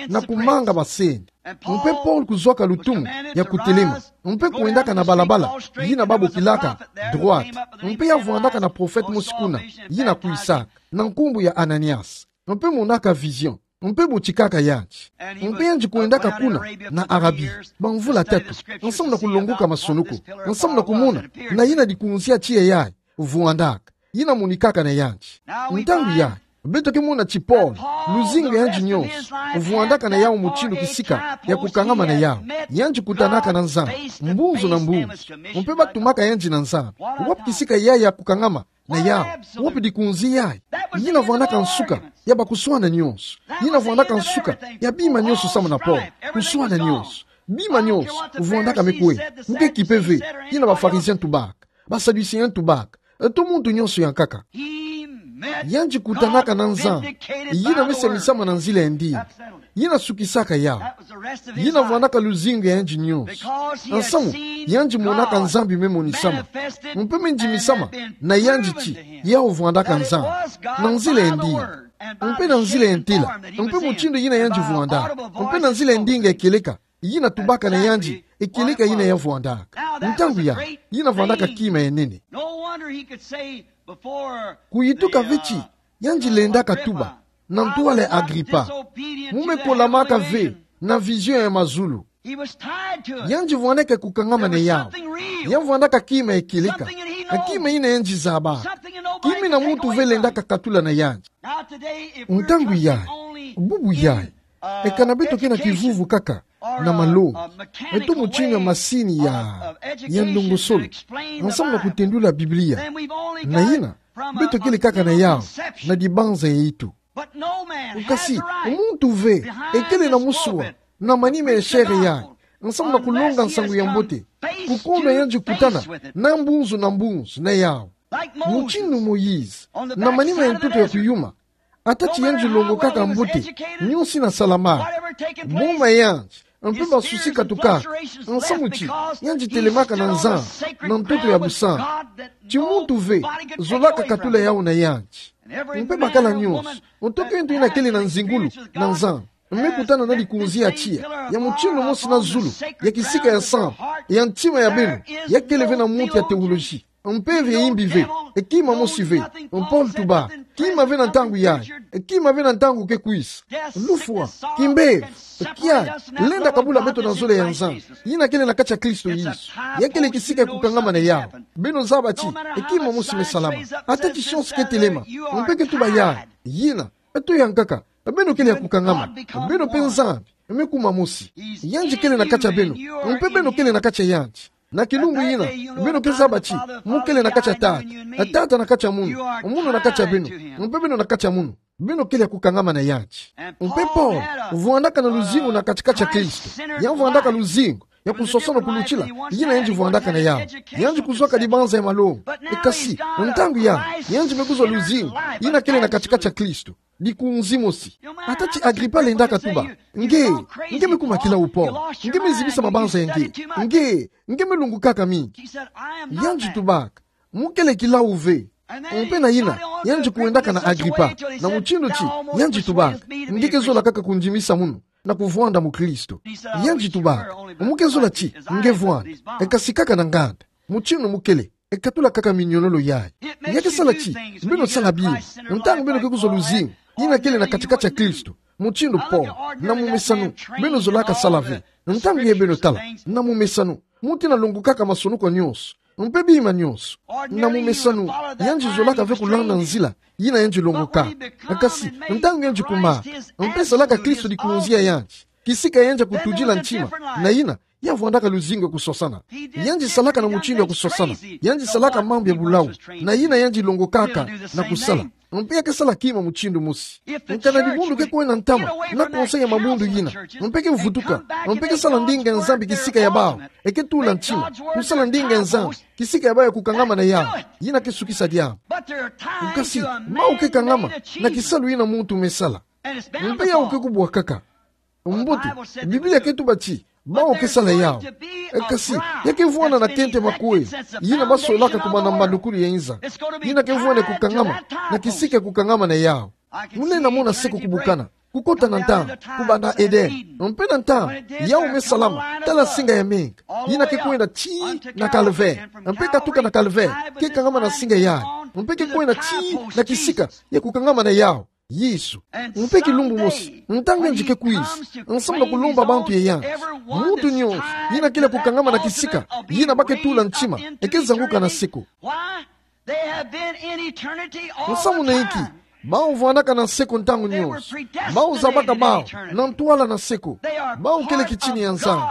na kumanga basende. Mpe Paul kuzwaka lutumu ya kutelema, mpe kwendaka na balabala yina babokilaka Droite. Mpe ya vwandaka na profete mosi kuna, yina kwisaka, na nkumbu ya Ananias. Mpe monaka vision, mpe botikaka yandi. Mpe yandi kwendaka kuna na Arabie bamvula tatu, nsamu na kulongoka masonoko, nsamu na kumona na yina dikunzi ya tiya yayi vwandaka, yina monikaka na yandi. Ntangu yayi, Beto ke mona ti Paul, luzingu ya yandi nyonso vwandaka na yau mutindu kisika ya kukangama na yau. Yandi kutanaka na Nzambi mbunzu na mbunzu, mpe batumaka yandi na Nzambi. Wapi kisika yayi ya kukangama na yau? Wapi dikunzi yayi? Yina vwandaka nsuka ya bakuswana nyonso. Yina vwandaka nsuka ya bima nyonso samu na Paul. Kuswana nyonso, bima nyonso vwandaka me kwe. Mu ke kipe ve yina ba Pharisiens tubaka, ba Sadducéens tubaka, to muntu nyonso ya nkaka. Yandi kutanaka na Nzambi, yina me samisama na nzila ya ndinga. Yina sukisaka yau. Yina vwandaka luzingu ya yandi nyonso. Nsamu yandi monaka Nzambi me monisama, mpe me ndimisama na yandi ti yau vwandaka Nzambi na nzila ya ndinga, mpe na nzila ya ntela, mpe mutindu yina yandi vwandaka, mpe na nzila ya ndinga ya kieleka yina tubaka na yandi, e kieleka yina ya vwandaka. Ntangu yayi, yina vwandaka kima ya nene. Kuyituka ve ti yandi lendaka tuba na ntwala ya Agripa: Mu me kolamaka ve na vision ya mazulu. Yandi vwandaka kukangama na yau. Ya vwandaka kima ya kieleka, kima yina yandi zaba, kima yina muntu ve lendaka katula na yandi. Ntangu yayi, bubu yayi, e kana beto ke na kivuvu kaka na malongi, to mutindu ya masini ya, ya ndongosolo, nsamu na kutendula Biblia, na yina beto kele kaka na yau na dibanza ya itu. Kasi muntu ve ekele na musua na manima ya chair yayi, nsamu na kulonga nsangu ya mbote, kukondwa yandi kutana na mbunzu na mbunzu na yau. Mutindu Moïse, na manima ya ntoto ya kuyuma, ata ti yandi longokaka mbote, nyonso yina salamaka, boma yandi, mpe masusi katukaka, nsamu ti yandi telemaka na Nzambi na ntoto ya busantu. Ti muntu ve zolaka katula yau na yandi. Mpe bakala nyonso, nto kento yina kele na nzingulu na Nzambi me kutana na dikunzi ya tiya, ya mutindu mosi na zulu, ya kisika ya sambu, ya ntima ya beno, ya kele ve na muntu ya théologie. Mpe ve imbi ve, e kima mosi ve. Paul tuba, kima ve na ntangu yayi, e kima ve na ntangu ke kwisa. Lufwa, kimbevo, kiadi, lenda kabula beto na zole ya Nzambi yina kele na kati ya Kristo Yesu. Ya kele kisika ya kukangama na yau. Beno zaba ti e kima mosi me salama. Ata ti science ke telema, mpe ke tuba yayi, yina, to ya nkaka, beno kele ya kukangama. Beno mpe Nzambi me kuma mosi. Yandi kele na kati ya beno, mpe beno kele na kati ya yandi. Na kilumbu yina, beno ke zaba ti mu kele na kati ya Tata, Tata na kati ya munu, munu na kati ya beno, mpe beno na kati ya munu. Beno kele ya kukangama na yandi. Mpe Paul vwandaka na luzingu na kati-kati ya Kristo. Ya vwandaka luzingu ya kusosona kulutila yina yandi vwandaka na yau. Yandi kuzwaka dibanza ya malongi. E kasi, ntangu yayi, yandi me kuzwa luzingu yina kele na kati-kati ya Kristo, dikunzi mosi. Ata ti Agripa lendaka tuba: Nge, nge me kuma kilau, Paul. Nge me zibisa mabanza ya nge. Nge, nge me lungukaka mingi. Yandi tubaka: Mu kele kilau ve. Mpe na yina, yandi kwendaka na Agripa na mutindu ti yandi tubaka: Nge ke zola kaka kundimisa munu na kuvwanda mukristo. Yandi tubaka: Mu ke zola ti nge vwanda, e kasi kaka na nganda. Mutindu mu kele, e katula kaka minyololo yayi. Ya ke sala ti beno sala bima ntangu beno ke kuzwa luzingu yina kele na kati-kati ya Kristo. Mutindu Paul, na mumesanu, beno zolaka sala ve. Ntangu yayi beno tala, na mumesanu, muntu yina longokaka masonoko nyonso, mpe bima nyonso. Na mumesanu, yandi zolaka ve kulanda nzila yina yandi longokaka. Kasi ntangu yandi kuma, mpe salaka Kristo dikunzi ya yandi, kisika yandi ya kutudila ntima, na yina ya vwandaka luzingu ya kusosana. Yandi salaka na mutindu ya kusosana. Yandi salaka mambu ya bulau. Na yina yandi longokaka na kusala. Mpe ya ke sala kima mutindu mosi. Nkana dibundu ke kwenda ntama na conseil ya mabundu yina, mpe ke vutuka, mpe ke sala ndinga ya Nzambi kisika ya bau, e ke tula ntima kusala ndinga ya Nzambi kisika ya bau ya kukangama na yau, yina ke sukisa diambu. Kasi bau ke kangama na kisalu yina muntu me sala. Mpe yau ke kubwa kaka. Mbote, Biblia ke tuba ti bau ke sala yau. E kasi, ya ke vwanda na kente makwe yina basolaka kumana mbandukulu ya inza. Yina ke vwanda ya kukangama na kisika ya kukangama na yau. Mu lenda mona seko kubukana, kukota na ntangu, kubanda Eden. Mpe na ntangu yau me salama, tala singa ya menga, yina ke kwenda tii na calvaire. Mpe katuka na calvaire, ke kangama na singa yayi. Mpe ke kwenda tii na kisika ya kukangama na yau, Yesu. Mpe kilumbu mosi, ntangu yandi ke kwisa, nsamu na kulomba bantu ya yandi, muntu nyonso yina kele ya kukangama na kisika yina ba ke tula ntima, e ke zanguka na seko. Nsamu na inki? Bawu vwandaka na seko ntangu nyonso. Bawu zabaka bawu na ntwala na seko. Bawu kele kitini ya Nzambi.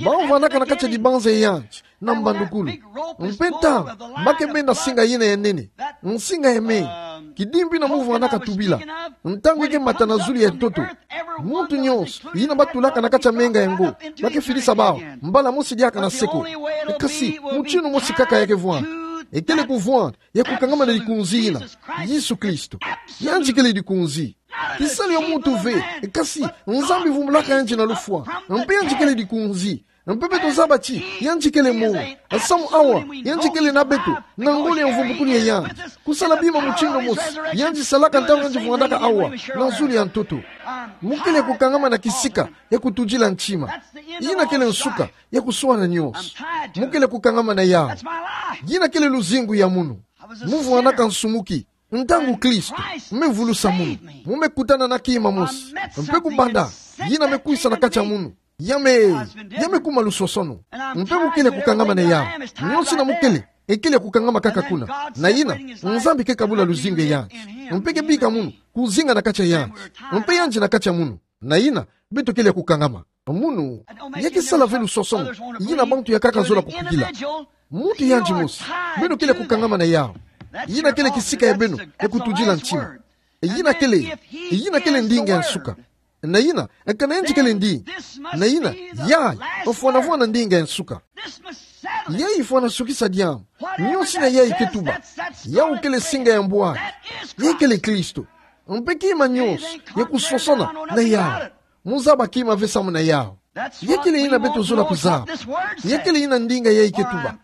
Bawu vwandaka na kati ya dibanza ya anti na mbandukulu. Mpe ntangu ba ke benda singa yina ya nene, nsinga ya mei, kidimbi na mu vwandaka tubila, ntangu i ke mata na zulu ya ntoto, muntu nyonso yina batulaka na kati ya menga yango ba ke fidisa bawu mbala mosi diaka na seko. Kasi mutinu mosi kaka ya ke vwanda. Ekele kuvwanda ya kukangama na likunzi yina, Yesu Kristo. Yandi kele likunzi. Kisalu ya muntu ve, kasi Nzambi vumbulaka yandi na lufwa. Mpe yandi kele likunzi. Mpe beto zaba ti yandi kele mo, samu awa yandi kele na beto, na ngolo ya mvumbukulu ya yandi. Kusala bima mutinu mosi yandi salaka ntangu yandi vwandaka awa na zulu ya ntoto. Mu kele kukangama na kisika ya kutudila ntima. Yina kele nsuka ya kuswana nyonso. Mu kele kukangama na yawu. Yina kele luzingu ya munu. Mu vwandaka nsumuki ntangu Kristo me vulusa munu. Mu me kutana na kima mosi. Mpe kubanda yina me kwisa na kati ya munu, ya me, ya me kuma lusosono. Mpe mu kele kukangama na yawu. Nyonso yina mu kele, ekele kukangama kaka kuna. Na yina, Nzambi ke kabula luzingu ya yandi. Mpe ke bika munu kuzinga na kati ya yandi. Mpe yandi na kati ya munu. Na yina, beto kele kukangama. Munu ya ke sala ve lusosono yina bantu ya nkaka zola kukukila. Muntu yandi mosi, beno kele kukangama na yawu. Yina kele kisika ya beno ya kutudila ntima. Yina kele, yina kele ndinga ya nsuka. Na yina, kana yandi kele ndinga, na yina, yayi ofwanafwana ndinga ya nsuka. Yayi ifwana sukisa diambu. Nyonso yina yayi ke tuba, yawu kele singa ya mbwaki. Yayi kele Kristo. Mpe kima nyonso ya kusosona na yawu. Mu zaba kima ve samu na yawu. Ya kele yina beto zola kuzaba. Ya kele yina ndinga yayi ke tuba.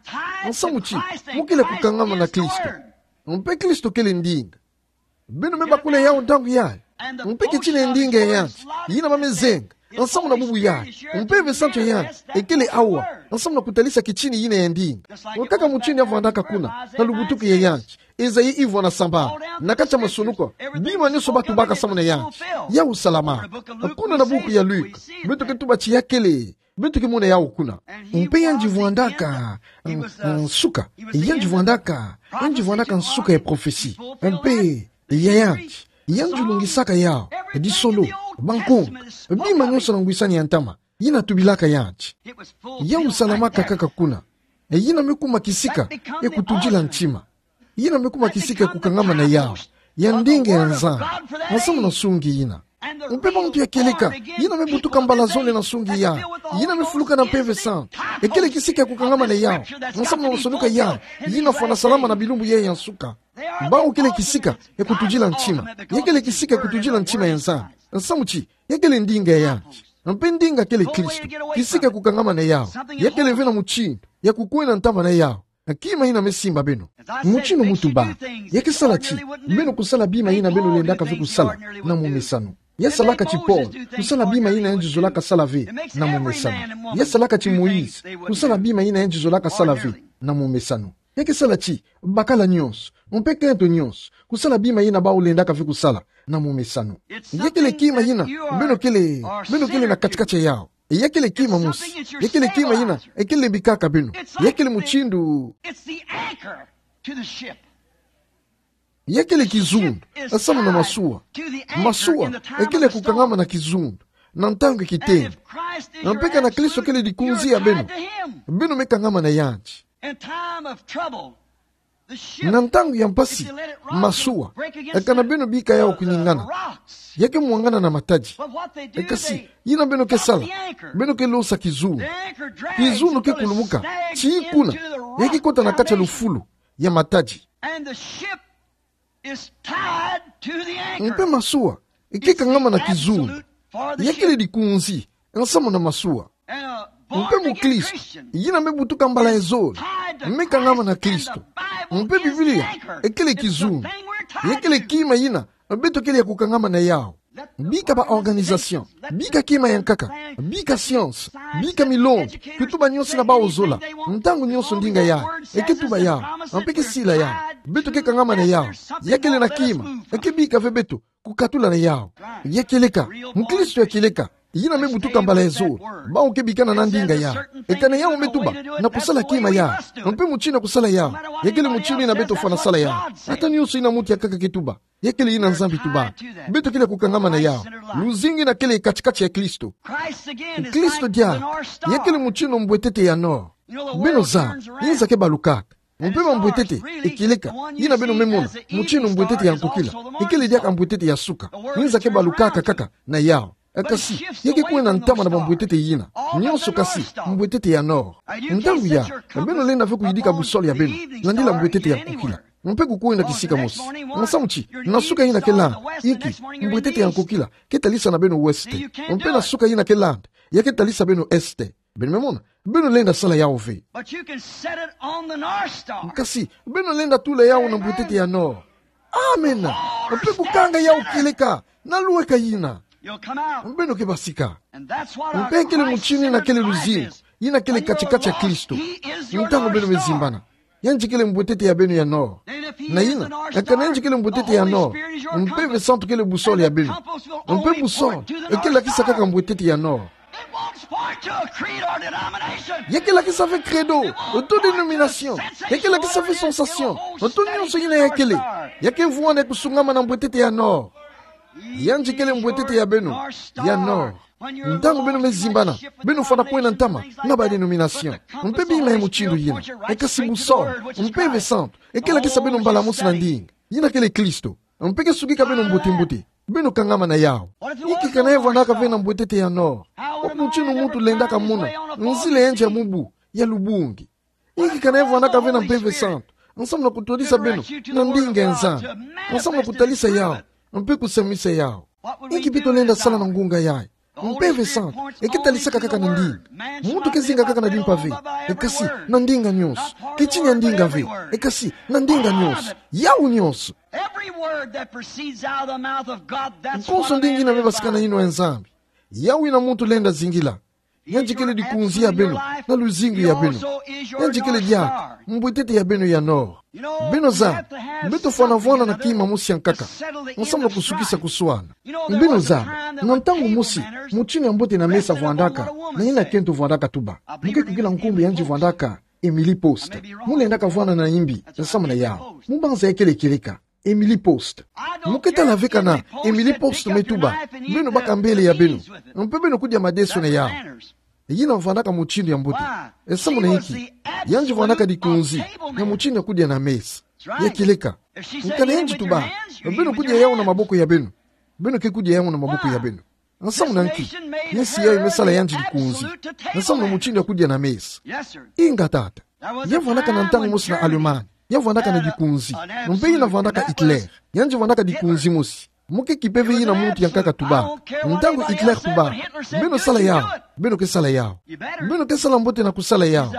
Nsamu ti, mu kele kukangama na Kristo. Mpe Kristo kele ndinga. Beno me bakula yawu ntangu yayi. Mpe kitini ya ndinga ya yandi yina ba me zenga nsamu na bubu yayi. Mpe Evre Santu ya yandi ekele awa nsamu na kutalisa kitini yina ya ndinga. Nkaka mutini ya vwandaka kuna na lubutuku ya yandi, Esaïe ivwa na sambanu, na kati ya masonuka, bima nyonso ba tubaka samu na yandi, yawu salamaka. Kuna na buku ya Luka, beto ke tuba ti ya kele, beto ke mona yawu kuna. Mpe yandi vwandaka, mm, mm, nsuka. Yandi vwandaka, yandi vwandaka nsuka ya prophetie. Mpe ya yandi, yandi lungisaka yawu, disolo, bankonga, bima nyonso na ngwisani ya ntama yina tubilaka yandi. Yawu salamaka kaka kuna. Yina me kuma kisika ya kutudila ntima. Yina me kuma kisika ya kukangama na yawu, ya ndinga ya Nzambi, nsamu na nsungi yina. Mpe bantu ya kieleka yina me butuka mbala zole na nsungi yayi, yina me fuluka na Mpeve Santu, ekele kisika ya kukangama na yawu, nsamu na masonuka yayi yina fwana salama na bilumbu yayi ya nsuka. Bawu kele kisika ya kutudila ntima. Ya kele kisika ya kutudila ntima ya Nzambi, nsamu ti ya kele ndinga ya yandi. Mpe ndinga kele Kristo. Kisika ya kukangama na yawu, ya kele ve na mutindu ya kukwenda ntama na yawu. Kima yina me simba beno. Mutindu mu tuba, ya ke sala ti beno kusala bima yina beno lendaka ve kusala na momesano. Ya salaka ti Paul kusala bima yina yandi zolaka sala ve na momesano. Ya salaka ti Moïse kusala bima yina yandi zolaka sala ve na momesano. Ya ke sala ti bakala nyonso, mpe kento nyonso, kusala bima yina bawu lendaka ve kusala na momesano. Ya kele kima yina beno kele, beno kele na kati-kati ya yawu. Ya kele kima mosi. Ya kele kima yina ekele bikaka beno. Ya kele mutindu. It's the anchor to the ship. Ya kele kizundu nsamu na masuwa. Masuwa ekele kukangama na kizundu na ntangu ya kitengo. Mpe kana Kristo kele likunzi ya beno, beno me kangama na yandi. In time of trouble, the ship, na ntangu ya mpasi, if you let it rock, masuwa, break against kana the, beno bika yawu the, the kuningana, rocks. Ya ke mwangana na matadi. But what they do, kasi, they yina beno ke sala, the anchor. Beno ke losa kizundu. The anchor drags. Kizundu ke kulumuka, till it sinks into the rock foundation. Tii kuna ya ke kota na kati ya lufulu ya matadi. And the ship is tied to the anchor. Mpe masuwa e ke kangama na kizundu. It's the absolute for the ship. Ya kele likunzi nsamu na masuwa. And a born again Christian is tied to Christ, and the Bible is the anchor. Mpe mukristo yina me butuka mbala ya zole me kangama na Kristo. Mpe Biblia ekele kizundu. It's the thing we're tied to. Ya kele kima yina beto kele ya kukangama na yawu. Bika ba organisation, bika kima ya nkaka, bika science, bika milongi, kutuba nyonso yina bawu zola, ntangu nyonso ndinga yayi e ke tuba yawu, mpe ke sila yawu, beto ke kangama na yawu. Ya kele na kima e ke bika ve beto kukatula na yawu. Ya kieleka, mukristo ya kieleka yina me butuka mbala ya zole, bawu ke bikana na ndinga yayi, kana yawu me tuba na kusala kima yayi, mpe mutindu ya kusala yawu, ya kele mutindu yina beto fwana sala yawu. Ata nyonso yina muntu ya nkaka ke tuba, Ya kele yina Nzambi tubaka. Beto kele kukangama na yawu. Luzingu yina kele kati-kati ya Kristo. Kristo diaka, ya kele mutindu mbwetete ya nord. Beno zaba, inza ke balukaka. Mpe mambwetete, ekileka, yina beno me mona, mutindu mbwetete ya nkokila, ekele diaka mbwetete ya suka, inza ke balukaka kaka na yawu. Kasi, ya ke kwenda ntama na bambwetete yina. Nyonso kasi, mbwetete ya nord. Ntangu yayi, beno lenda ve kuyidika boussole ya beno, landila mbwetete ya nkokila. Mpe kukwenda kisika mosi. Nsamu ti, na suka yina ke landa, inki, mbwetete ya nkokila, ke talisa na beno ouest. Mpe na suka yina ke landa, ya ke talisa beno est. Beno me mona, beno lenda sala yawu ve. But you can set it on the North Star. Kasi, beno lenda tula yawu na mbwetete ya nord. Amena. Mpe kukanga yawu kieleka, na luweka yina. You'll come out. Beno ke basika. And that's what our Mpe kele Christ mutindu yina centered kele life luzingu, is. Yina kele kati-kati ya Kristo. He is your Ntangu North beno me Star. Zimbana. Yandi kele mbwetete ya beno ya nord. Na yina, kana yandi kele mbwetete ya nord, Mpeve Santu kele boussole ya beno. Mpe boussole, eke lakisa kaka mbwetete ya nord. Ya ke lakisa ve credo, oto dénomination. Ya ke lakisa ve sensation, oto nyonso yina ya kele. Ya ke vwanda kusungama na mbwetete ya nord. Yandi kele mbwetete ya beno, ya nord. Ntangu beno me zimbana, beno fwana kwenda ntama na ba dénomination. Mpe bima ya mutindu yina. Kasi boussole, Mpeve Santu, eke lakisa beno mbala mosi na ndinga. Yina kele Kristo. Mpe ke sukika beno mbote-mbote. Beno kangama na yawu. Inki kana ya vwandaka ve na mbwetete ya nord? Wapi mutindu muntu lendaka mona nzila ya yandi ya mubu, ya lubungi? Inki kana ya vwandaka ve na Mpeve Santu, nsamu na kutwadisa beno na ndinga ya Nzambi, nsamu na kutalisa yawu, mpe kusamisa yawu? Inki beto lenda sala na ngunga yayi? Mpeve Santu, eke talisaka kaka na ndinga. Muntu ke zinga kaka na dimpa ve, kasi na ndinga nyonso. Ke tina ya ndinga ve, kasi na ndinga nyonso. Yawu nyonso. Every word that proceeds out of the mouth of God, that's what a man lives by. Konso ndinga yina me basika na yinwa ya Nzambi, yawu yina muntu lenda zingila. Yandi kele dikunzi ya beno, na luzingu ya beno. Yandi kele diaka mbwetete ya beno ya nord. Beno zaba, beto fwana vwanda na kima mosi ya nkaka, nsamu na kusukisa kuswana. Beno zaba, na ntangu mosi, mutindu ya mbote na mesa vwandaka, na yina kento vwandaka tuba. Mu ke kukila nkumbu ya yandi vwandaka, Emily Post. Mu lendaka vwanda na imbi, nsamu na yawu. Mu banza ya kele kieleka, Emily Post. Mu ke tala ve kana Emily Post me tuba, beno baka mbele ya beno. Mpe beno kudia madeso na yawu. Yina vwandaka mutindu ya mbote. Nsamu na inki? Yandi vwandaka dikunzi, na mutindu ya kudia na mesa. Ya kieleka. Kana yandi tuba, beno kudia yawu na maboko ya beno. Beno ke kudia yawu na maboko ya beno. Nsamu na inki? Insi yayi me sala yandi dikunzi, nsamu na mutindu ya kudia na mesa. Inga tata. Ya vwandaka na ntangu mosi na Allemagne. Ya vwandaka na dikunzi. Mpe yina vwandaka Hitler. Yandi vwandaka dikunzi mosi. Mu ke kipe ve yina muntu ya nkaka tuba. Ntangu Hitler tuba, beno sala yawu. Beno ke sala yawu. Beno ke sala mbote na kusala yawu.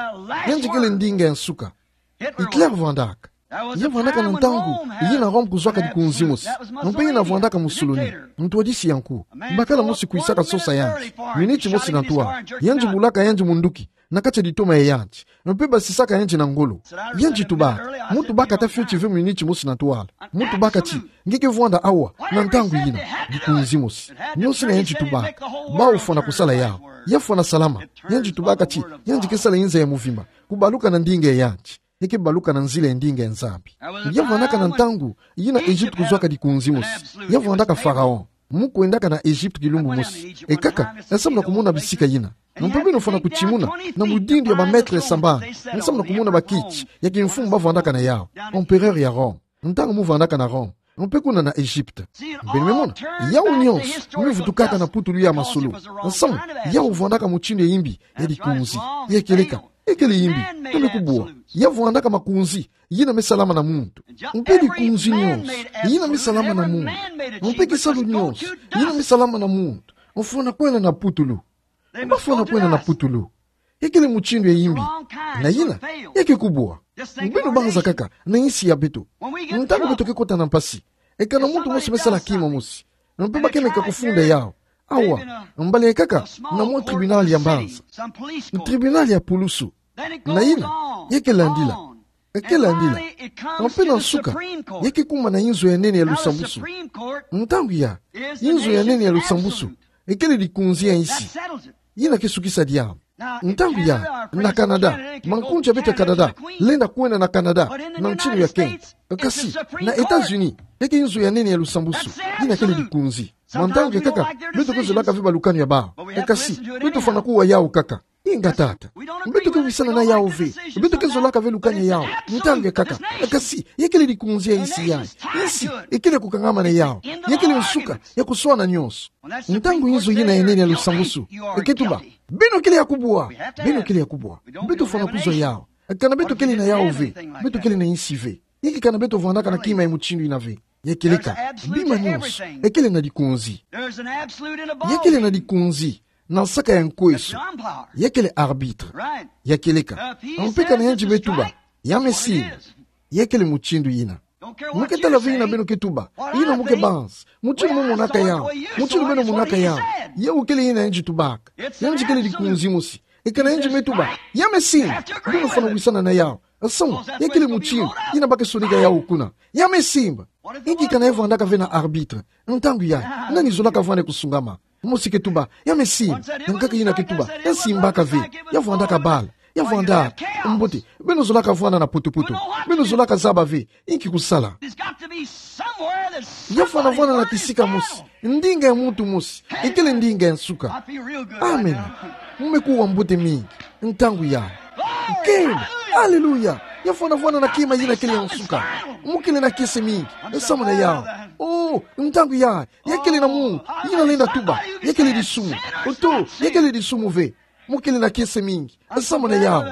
Yandi kele ndinga ya nsuka. Hitler vwandaka. Ya vwandaka na ntangu yina Rome kuzwaka dikunzi mosi. Mpe yina vwandaka Mussolini, ntwadisi ya nku. Bakala mosi kwisaka sosa yandi, miniti mosi na ntwala. Yandi bulaka yandi munduki na kati ya ditoma ya yandi. Mpe basisaka yandi na ngolo. Yandi tubaka, mu tubaka ata fioti ve miniti mosi na ntwala. Mu tubaka ti, nge ke vwanda awa, na ntangu yina, dikunzi mosi. Nyonso yina yandi tubaka, bawu fwana kusala yawu. Ya fwana salama. Yandi tubaka ti, yandi ke sala inza ya muvimba, kubaluka na ndinga ya yandi. Eke baluka na nzila ya ndinga ya Nzambi. Ya vwandaka na ntangu yina Egypte kuzwaka dikunzi mosi. Ya vwandaka Pharaon. Mu kwendaka na Egypte kilumbu mosi. E kaka, nsamu na kumona bisika yina. Mpe beno fwana kutimuna na mudindu ya ba mètre sambanu. Nsamu na kumona bakiti ya kimfumu ba vwandaka na yawu. Empereur ya Rome. Ntangu mu vwandaka na Rome. Mpe kuna na Egypte. Beno me mona, yawu nyonso me vutukaka na putulu ya masolo. Nsamu, yawu vwandaka mutindu ya imbi, ya dikunzi, ya kieleka. Ekele imbi, tole kubwa. Ya vwandaka makunzi yina me salama na muntu. Mpe dikunzi nyonso yina me salama na muntu. Mpe kisalu nyonso yina me salama na muntu, fwana kwenda na putulu. Ba fwana kwenda na putulu. Ekele mutindu ya imbi. Na yina, ya ke kubwa. Beno banza kaka na insi ya beto. Ntangu beto ke kota na mpasi, e kana muntu mosi me sala kima mosi. Mpe ba ke meka kufunda yawu. Awa, mbala ya nkaka, na mwa tribunal ya mbanza. Tribunal ya pulusu. Na yina, ya ke landila. E ke landila. Mpe na nsuka, ya ke kuma na inzo ya nene ya lusambusu. Ntangu yayi, inzo ya nene ya lusambusu, ekele dikunzi ya insi. Yina ke sukisa diambu. Ntangu yayi, na Canada, makoncha beto Canada lenda kwenda na Canada na ntinu ya kento. Kasi, na États-Unis, ya ke nzo ya nene ya lusambusu, yina kele likonzi. Mwa ntangu ya nkaka, beto ke zolaka ve ba lukani ya bawu. Kasi, beto fwana kuwa yawu kaka. Inga tata. Beto ke wisana na yawu ve. Beto ke zolaka ve lukani ya yawu. Ntangu ya nkaka. Kasi, ya kele likonzi ya insi yayi. Insi, ikele kukangama na yawu. Ya kele nsuka ya kuswana nyonso. Ntangu nzo yina ya nene ya lusambusu, eke tuba: Beno kele ya kubwa. Beno kele ya kubwa. Beto fwana kuzwa yawu. Kana beto kele na yawu ve, beto kele na insi ve. Inki kana beto vwandaka na kima ya mutindu yina ve? Ya kieleka bima nyonso. Ya kele na likonzi. Ya kele na likonzi na nsaka ya nkweso. Ya kele arbitre. Ya kieleka. Mpe kana yandi me tuba: Ya me simba. Ya kele mutindu yina. Mu ke tala ve yina beno ke tuba, yina mu ke banza, mutindu mu monaka yawu, mutindu beno monaka yawu. Yawu kele yina yandi tubaka. Yandi kele likonzi mosi. E kana yandi me tuba: Ya me simba. Beno fwana wisana na yawu. Samu ya kele mutindu yina ba ke sonika yawu kuna. Ya me simba. Inki kana ya vwandaka ve na arbitre? Ntangu yayi, nani zolaka vwanda kusungama? Mosi ke tuba: Ya me simba. Nkaka yina ke tuba: Ya simbaka ve. Ya vwandaka bala. Ya vwandaka. Mbote, beno zolaka vwanda na poto-poto. Beno zolaka zaba ve inki kusala. Ya fwana vwanda na kisika mosi. Ndinga ya muntu mosi. Ikele ndinga ya nsuka. Amen. Mu me kuwa mbote mingi ntangu yayi. Kele. Aleluya. Ya fwana vwanda na kima yina kele ya nsuka. Mu kele na kiese mingi samu na yawu. Oh, ntangu yayi, ya kele na muntu yina lenda tuba: Ya kele disumu. Oto, ya kele disumu ve. Mu kele na kiese mingi samu na yawu.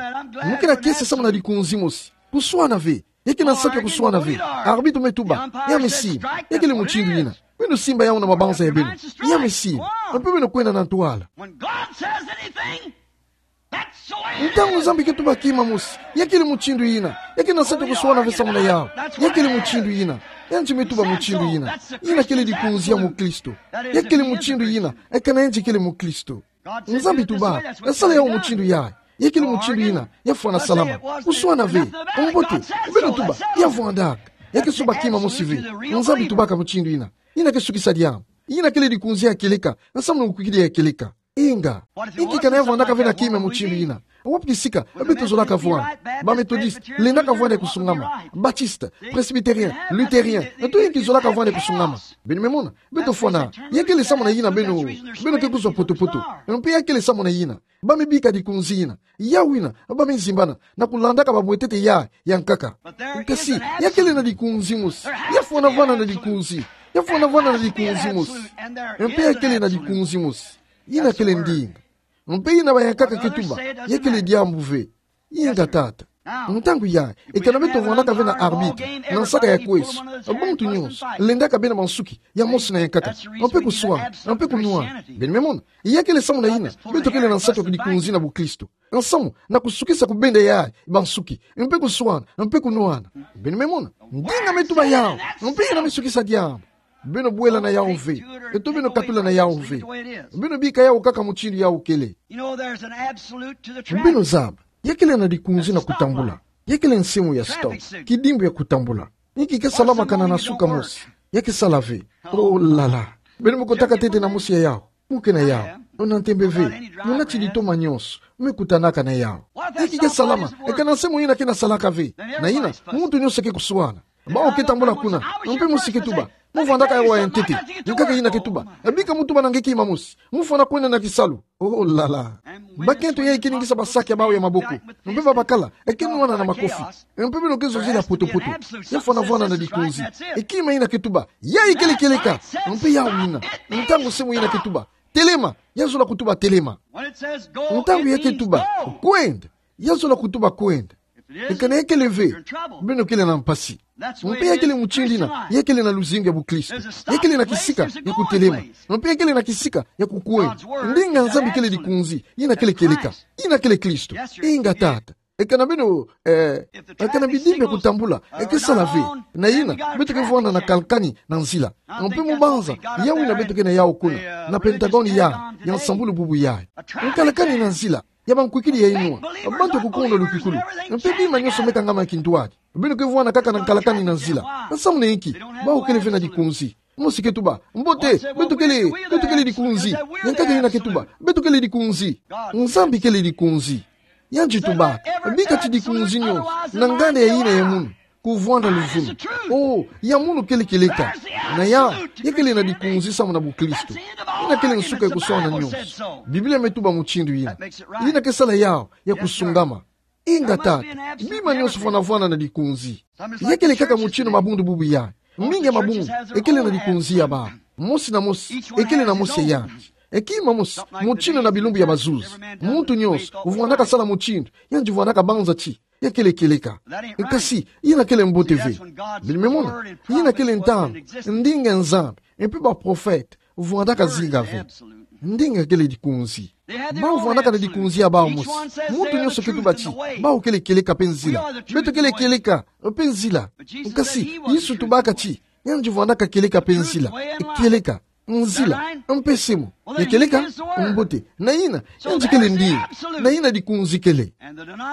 Mu ke na kiese samu na likonzi mosi. Kuswana ve. Ya ke na nsatu ya kuswana ve. Arbitre me tuba: Ya me simba. Ya kele mutindu yina. Beno simba yawu na mabanza ya beno. Ya me simba. Mpe beno kwenda na ntwala. Ntangu Nzambi ke tuba kima mosi, ya kele mutindu yina. Ya ke na nsatu ya kuswana ve samu na yawu. Ya kele mutindu yina. Yandi me tuba mutindu yina. Yina kele likonzi ya mukristo. Ya kele mutindu yina. E kana yandi kele mukristo. Nzambi tuba: Sala yawu mutindu yayi. Ya kele mutindu yina. Ya fwana salama. Kuswana ve. Mbote, beno tuba: Ya vwandaka. Ya ke soba kima mosi ve. Nzambi tubaka mutindu yina. Yina ke sukisa diambu. Yina kele likonzi ya kieleka samu na mukwikidi ya kieleka. Inga. Inki kana ya vwandaka ve na kima mutindu yina? Wapi kisika beto zolaka vwanda? Ba Méthodistes lendaka vwanda kusungama. Baptistes, Presbytériens, Luthériens, beto inki zolaka vwanda kusungama? Beno me mona. Beto fwana. Ya kele samu na yina beno, beno ke kuzwa poto-poto. Mpe ya kele samu na yina ba me bika likonzi yina. Yawu yina ba me zimbana na kulandaka ba mwetete ya, ya nkaka. Kasi ya kele na likonzi mosi. Ya fwana vwanda na likonzi. Ya fwana vwanda na likonzi mosi. Mpe ya kele na likonzi mosi. Yina kele ndinga. Mpe yina ba ya nkaka ke tuba: Ya kele diambu ve. Inga tata. Ntangu yayi, e kana beto vwandaka ve na arbitre na nsaka ya kweso, ba muntu nyonso lendaka bena mansuki ya mosi na ya nkaka. Mpe kuswana, mpe kunwana. Beno me mona. Ya kele samu na yina beto kele na nsatu ya likonzi na bukristo. Samu na kusukisa kubenda yayi bansuki, mpe kuswana, mpe kunwana. Beno me mona. Ndinga me tuba yawu. Mpe yina me sukisa diambu. Beno bwela na yawu ve. Eto beno katula na yawu ve. Beno bika yawu kaka mutindu yawu kele. Beno zaba, ya kele na likonzi na kutambula. Ya kele nsemo ya stop. Kidimbu ya kutambula. Inki ke salama kana na suka mosi? Ya ke sala ve. Oh là là. Beno me kotaka ntete na mosi ya yawu. Mu ke na yawu. Ona ntembe ve. Muna ti litoma nyonso me kutanaka na yawu. Inki ke salama? E kana nsemo yina ke na salaka ve. Na yina muntu nyonso ke kuswana. Bawu ke tambula kuna. Mpe mosi ke tuba: Mu vwandaka awa ya ntete. Nkaka yina ke tuba: Bika mu tuba na nge kima mosi. Mu fwana kwenda na kisalu. Oh là là. Bakento yayi ke ningisa ba sac ya bawu ya maboko. Mpe babakala e ke nwana na makofi. Mpe beno ke zozela poto-poto. Ya fwana vwanda na likonzi. E kima yina ke tuba: Yayi kele kieleka. Mpe yawu yina. Ntangu nsemo yina ke tuba: Telema, ya zola kutuba: Telema. Ntangu ya ke tuba: Kwenda, ya zola kutuba: Kwenda. E kana ya kele ve, beno kele na mpasi. Mpe ya kele mutindu yina ya kele na luzingu ya bukristo. Ya kele na kisika ya kutelema. Mpe ya kele na kisika ya kukwenda. Ndinga Nzambi kele likonzi, yina kele kieleka. Yina kele Kristo. Inga tata. E kana beno, eh, e kana bidimbu ya kutambula e ke sala ve, na yina beto ke vwanda na kalakani na nzila. Mpe mu banza yawu yina beto ke na yawu kuna, na Pentagone ya, ya nsambulu bubu yayi. Nkalakani na nzila ya bankwikidi ya inwa. Bantu ya kukonda lukikulu. Mpe bima nyonso me kangama kintwadi. Beno ke vwanda kaka na nkalakani na nzila. Nsamu na inki? Bawu kele ve na likonzi. Mosi ke tuba, mbote, beto kele, beto kele dikunzi. Yankaka ina ke tuba, beto kele dikunzi. Nzambi kele dikunzi. Yandi tubaka, bika ti dikunzi nyo, na nganda ya ina ya munu, kuvwanda luvunu. O, ya munu kele kieleka. Na ya, ya kele na dikunzi samu na buklisto. Ina kele nsuka ya kusona nyonso. Biblia me tuba mutindu ina. Ina ke sala yau, ya kusungama. Inga tata, bima nyonso fwanafwana na dikunzi. Ya kele kaka mutinu mabundu bubu ya. Mingi ya mabundu, ekele na dikunzi ya bau. Mosi na mosi, ekele na mosi ya yandi. Ekima mosi, mutinu na bilumbu ya bazuzi. Muntu nyonso, vwandaka sala mutindu, yandi vwandaka banza ti ya kele kieleka. Kasi, ina kele mbote ve. Bino me mona, ina kele ntangu, ndinga Nzambi, mpe baprofete, vwandaka zinga ve. Ndinga kele dikunzi. Bau vwandaka na dikunzi ya bau mosi. Muntu nyonso ke tuba ti, bau kele kieleka mpe nzila. Beto kele kieleka mpe nzila. Kasi, Yesu tubaka ti, yandi vwandaka kieleka mpe nzila. Kieleka, nzila, mpe semo. Ya kieleka, mbote. Na ina, yandi kele ndinga. Na ina dikunzi kele.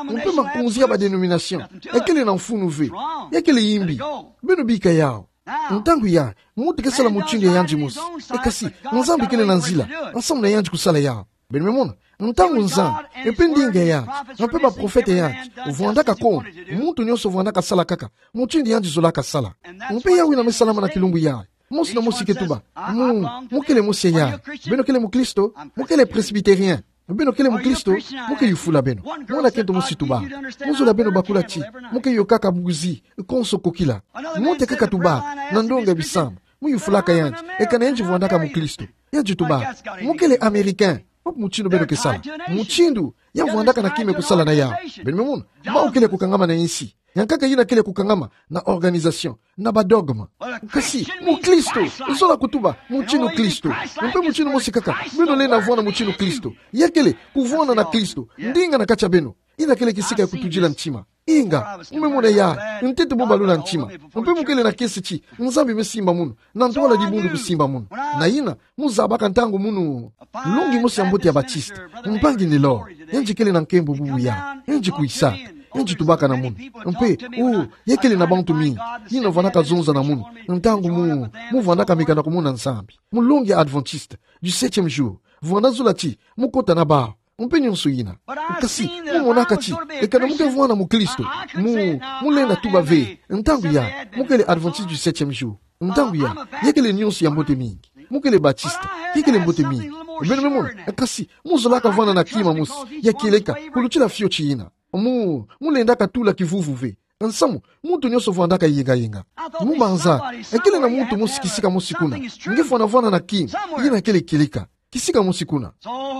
Mpe makunzi ya badenomination, ekele na mfunu ve. Ya kele yimbi. Beno bika yau. Ntangu ya, muntu ke sala mutindu ya yandi mosi. E kasi, Nzambi kele na nzila, nsamu na yandi kusala yau. Beno me mona, ntangu Nzambi, mpe ndinga ya yandi, mpe baprofete ya yandi, vwandaka kô, muntu nyonso vwandaka sala kaka mutindu yandi zolaka sala. Mpe yawu ina me salama na kilumbu ya. Mosi na mosi ke tuba, mu, mu kele mosi ya yandi. Beno kele muklisto, mu kele presbytérien. Beno kele muklisto, mu ke yufula beno. Mwana kento mosi tuba. Mu zola beno bakula ti, mu ke yokaka buzi, konso kokila. Muntu kaka tuba, na ndonga bisamba. Mu yufulaka yandi, eka na yandi vwandaka muklisto. Yandi tuba, mu kele américain. Wapi mutindu beno ke sala? Mutindu ya vwandaka na kima ya kusala na yau. Beno me mona, bau kele kukangama na insi. Yankaka ina kele kukangama na organisation, na badogme. Kasi, muklisto, zola kutuba, mutinu Kristo. Mpe mutinu mosi kaka, beno lenda vwanda mutinu Kristo. Ya kele, kuvwanda na Kristo. Ndinga na kati ya beno. Ina kele kisika ya kutudila ntima. Inga, mu me mona ya, ntete mu balula ntima. Mpe mu kele na kiese ti, Nzambi me simba munu. Na ntwala dibundu kusimba munu. Na ina, mu zabaka ntangu munu. Longi mosi ya mbote ya Baptiste, mpangi Nelor, yandi kele na nkembo bubu ya, yandi kuisa, yandi tubaka na munu. Mpe, o, ya kele na bantu mingi, ina vwandaka zonza na munu, ntangu mu, mu vwandaka meka na kumona Nzambi. Mu longi ya Adventiste du septième jour, vwanda zola ti, mu kota na bau. Mpe nyonso ina. Kasi, mu monaka ti, eka na mu ke vwanda muklisto. Mu, mu lenda tuba ve, ntangu ya, mu kele Adventiste du septième jour. Ntangu ya, ya kele nyonso ya mbote mingi. Mu kele Baptiste, ya kele mbote mingi. Beno me mona, kasi, mu zolaka vwanda na kima mosi, ya kieleka, kulutila fioti ina. Mu, mu lendaka tula kivuvu ve. Nsamu, muntu nyonso vwandaka yinga yinga. Mu banza, e kele na muntu mosi kisika mosi kuna. Nge fwana vwanda na kima, ina kele kieleka. Kisika mosi kuna.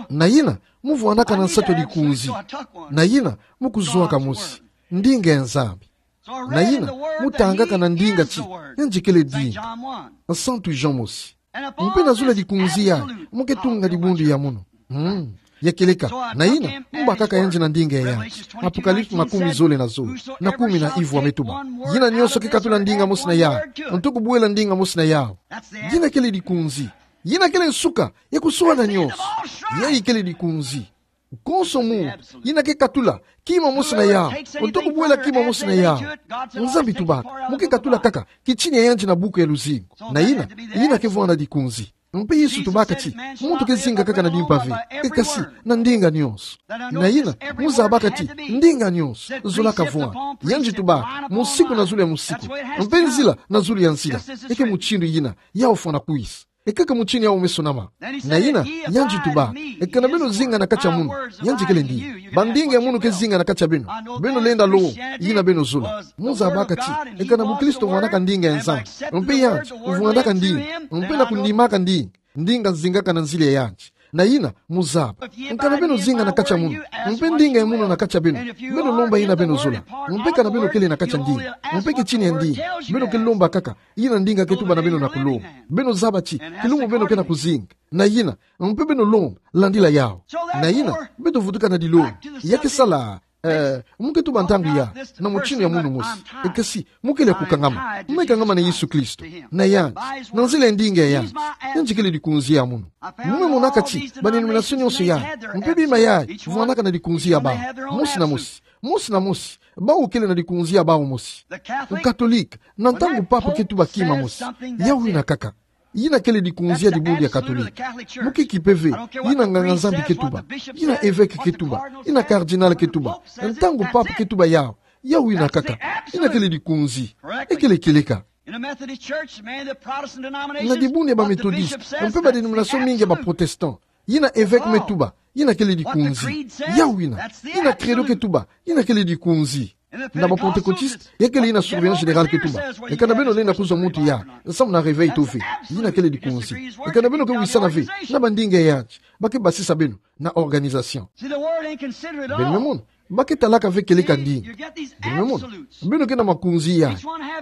Na ina, mu vwandaka na nsatu ya dikunzi. Na ina, mu kuzwaka mosi. Ndinga ya Nzambi. Na ina, mu tangaka na ndinga ti, yandi kele ndinga. Santu Jean mosi. Mpe na zole dikunzi ya, mu ke tunga dibundu ya munu. Hmm. Ya kieleka, na ina, mu bakaka yandi na ndinga ya yandi. Apocalypse makumi zole na zole. Na kumi na ivwa me tuba. Yina nyonso ke katula ndinga mosi na yandi. Nto kubuela ndinga mosi na yandi. Yina kele dikunzi. Yina kele nsuka, ya kuswala nyonso. Yayi kele dikunzi. Konso mu, yina ke katula, kima mosi na yandi. Nto kubuela kima mosi na yandi. Nzambi tubaka, mu ke katula kaka, kitini ya yandi na buku ya luzingu. Na ina, yina ke vwanda dikunzi. Mpe Yesu tubaka ti, muntu ke zinga kaka na dimpa ve. E kasi, na ndinga nyonso. Na ina, mu zabaka ti, ndinga nyonso, zolaka vwanda. Yandi tubaka, musiku na zulu ya musiku. Mpe nzila, na zulu ya nzila. E ke mutindu yina, yau fwana kuisa. E kaka mutindu yau me sonama. Na ina, yandi tubaka, eka na beno zinga na kati ya munu, yandi kele ndinga. Bandinga ya munu ke zinga na kati ya beno. Beno lenda lomba, yina beno zola. Mu zabaka ti, eka na buklisto vwandaka ndinga ya Nzambi. Mpe yandi, vwandaka ndinga. Mpe na kundimaka ndinga. Ndinga zingaka na nzila ya yandi. Na ina, mu zaba. Eka na beno zinga na kati ya munu. Mpe ndinga ya munu na kati ya beno. Beno lomba yina beno zola. Mpe eka na beno kele na kati ya ndinga. Mpe kitini ya ndinga. Beno ke lomba kaka. Yina ndinga ke tuba na beno na kulomba. Beno zaba ti, kilumbu beno ke na kuzinga. Na yina, mpe beno lomba, landila yau. Na yina, beto vutuka na dilombo. Ya ke sala, eh, mu ke tuba ntangu ya, na mutindu ya munu mosi. E kasi, mu kele kukangama. Mu me kangama na Yesu Kristo. Na yandi, na nzila ya ndinga ya yandi. Yandi kele dikunzi ya munu. Mu me monaka ti, ba denomination nyonso ya. Mpe bima ya, vwandaka na dikunzi ya bau. Mosi na mosi. Mosi na mosi. Bau kele na dikunzi ya bau mosi. Katolika, na ntangu papa ke tuba kima mosi. Yau yina kaka. Yina kele dikunzi ya dibundu ya Katolika. Mu ke kipe ve, yina nganga-Nzambi ke tuba, yina évêque ke tuba, yina cardinal ke tuba, ntangu pape ke tuba yau, yau yina kaka. Yina kele dikunzi. Ekele kieleka. Na dibundu ya ba Methodiste, mpe ba dénomination mingi ya ba Protestant, yina évêque me tuba, yina kele dikunzi. Yau yina. Yina credo ke tuba, yina kele dikunzi. Na ba Pentecôtiste, ya kele yina surveillant général ke tuba: E kana beno lenda kuzwa muntu ya, nsamu na réveil to ve. Yina kele dikunzi. E kana beno ke wisana ve na ba ndinga ya anti, ba ke basisa beno na organisation. Beno me mona, ba ke talaka ve kieleka ndinga. Beno me mona, beno ke na makunzi yayi.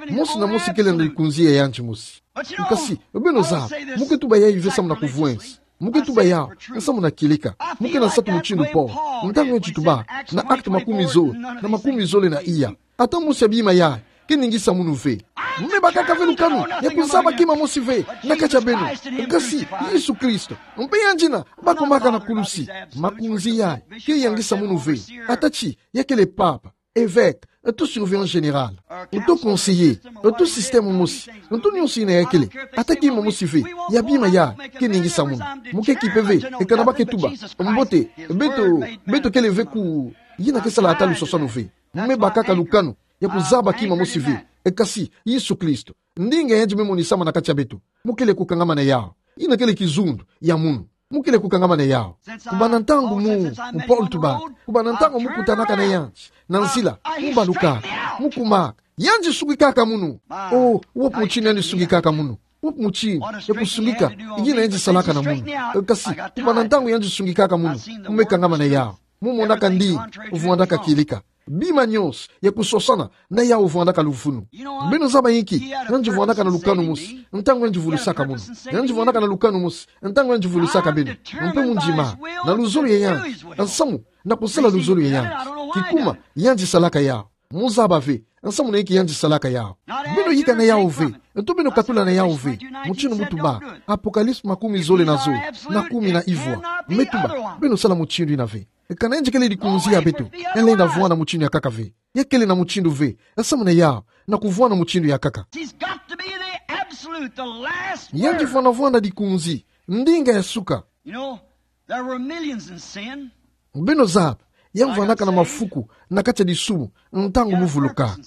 Mosi na mosi kele na dikunzi ya anti mosi. Kasi, beno zaba, mu ke tuba yayi ve nsamu na kuvwensa. Mu ke tuba yau nsamu na kieleka. Mu ke na nsatu mutindu Paul, ntangu yandi tubaka na Actes makumi zole na makumi zole na iya: Ata mosi ya bima yayi ke ningisa munu ve. Mu me bakaka ve lukanu ya kuzaba kima mosi ve na kati ya beno, kasi Yesu Kristo. Mpe yandi yina bakomaka na kulusi. Makunzi yayi ke yangisa munu ve. Ata ti ya kele pape, évêque, to surveillant général, to conseiller, to système mosi, to nionso yina ya kele, ata kima mosi ve ya bima yayi ke ningisa munu. Mu ke kipe ve e kana ba ke tuba: Mbote, beto, beto kele ve ku... Yina ke sala ata luswaswanu ve. Mu me bakaka lukanu ya kuzaba kima mosi ve, kasi Yesu Kristo. Ndinga yandi me monisama na kati ya beto, mu kele kukangama na yau. Yina kele kizundu ya munu. Mu kele kukangama na yau. Kubana ntangu mu, mu Paul tubaka, kubana ntangu mu kutanaka na yandi na nzila, mu balukaka, mu kumaka, yandi sungikaka munu. Oh, wapi mutindu yandi sungikaka munu? Wapi mutindu ya kusungika yina yandi salaka na munu? Kasi, kubana ntangu yandi sungikaka munu, mu me kangama na yau. Mu monaka ndinga vwandaka kieleka. Bima nionso ya kuswaswana na yau vwandaka luvunu. Beno zaba inki? Yandi vwandaka na lukanu mosi ntangu yandi vulusaka munu. Yandi vwandaka na lukanu mosi ntangu yandi vulusaka beno. Mpe mu ndima, na luzolo ya yandi, nsamu na kusala luzolo ya yandi, kikuma yandi salaka yau. Mu zaba ve nsamu na inki yandi salaka yau. Beno yika na yau ve, to beno katula na yau ve. Mutindu mu tubaka, Apocalypse makumi zole na zole, na kumi na ivwa, me tuba beno sala mutindu yina ve. Kana yandi kele dikunzi ya beto, ya lenda vwanda mutindu ya nkaka ve. Ya kele na mutindu ve nsamu na yau na kuvwanda mutindu ya nkaka. He's got to be the absolute, the last word. Yandi fwana vwanda dikunzi, ndinga ya suka. You know, there were millions in sin. Beno zaba, ya vwandaka na mafuku na kati ya disumu ntangu mu vulukaka.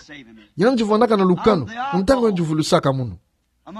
Yandi vwandaka na lukanu ntangu yandi vulusaka munu.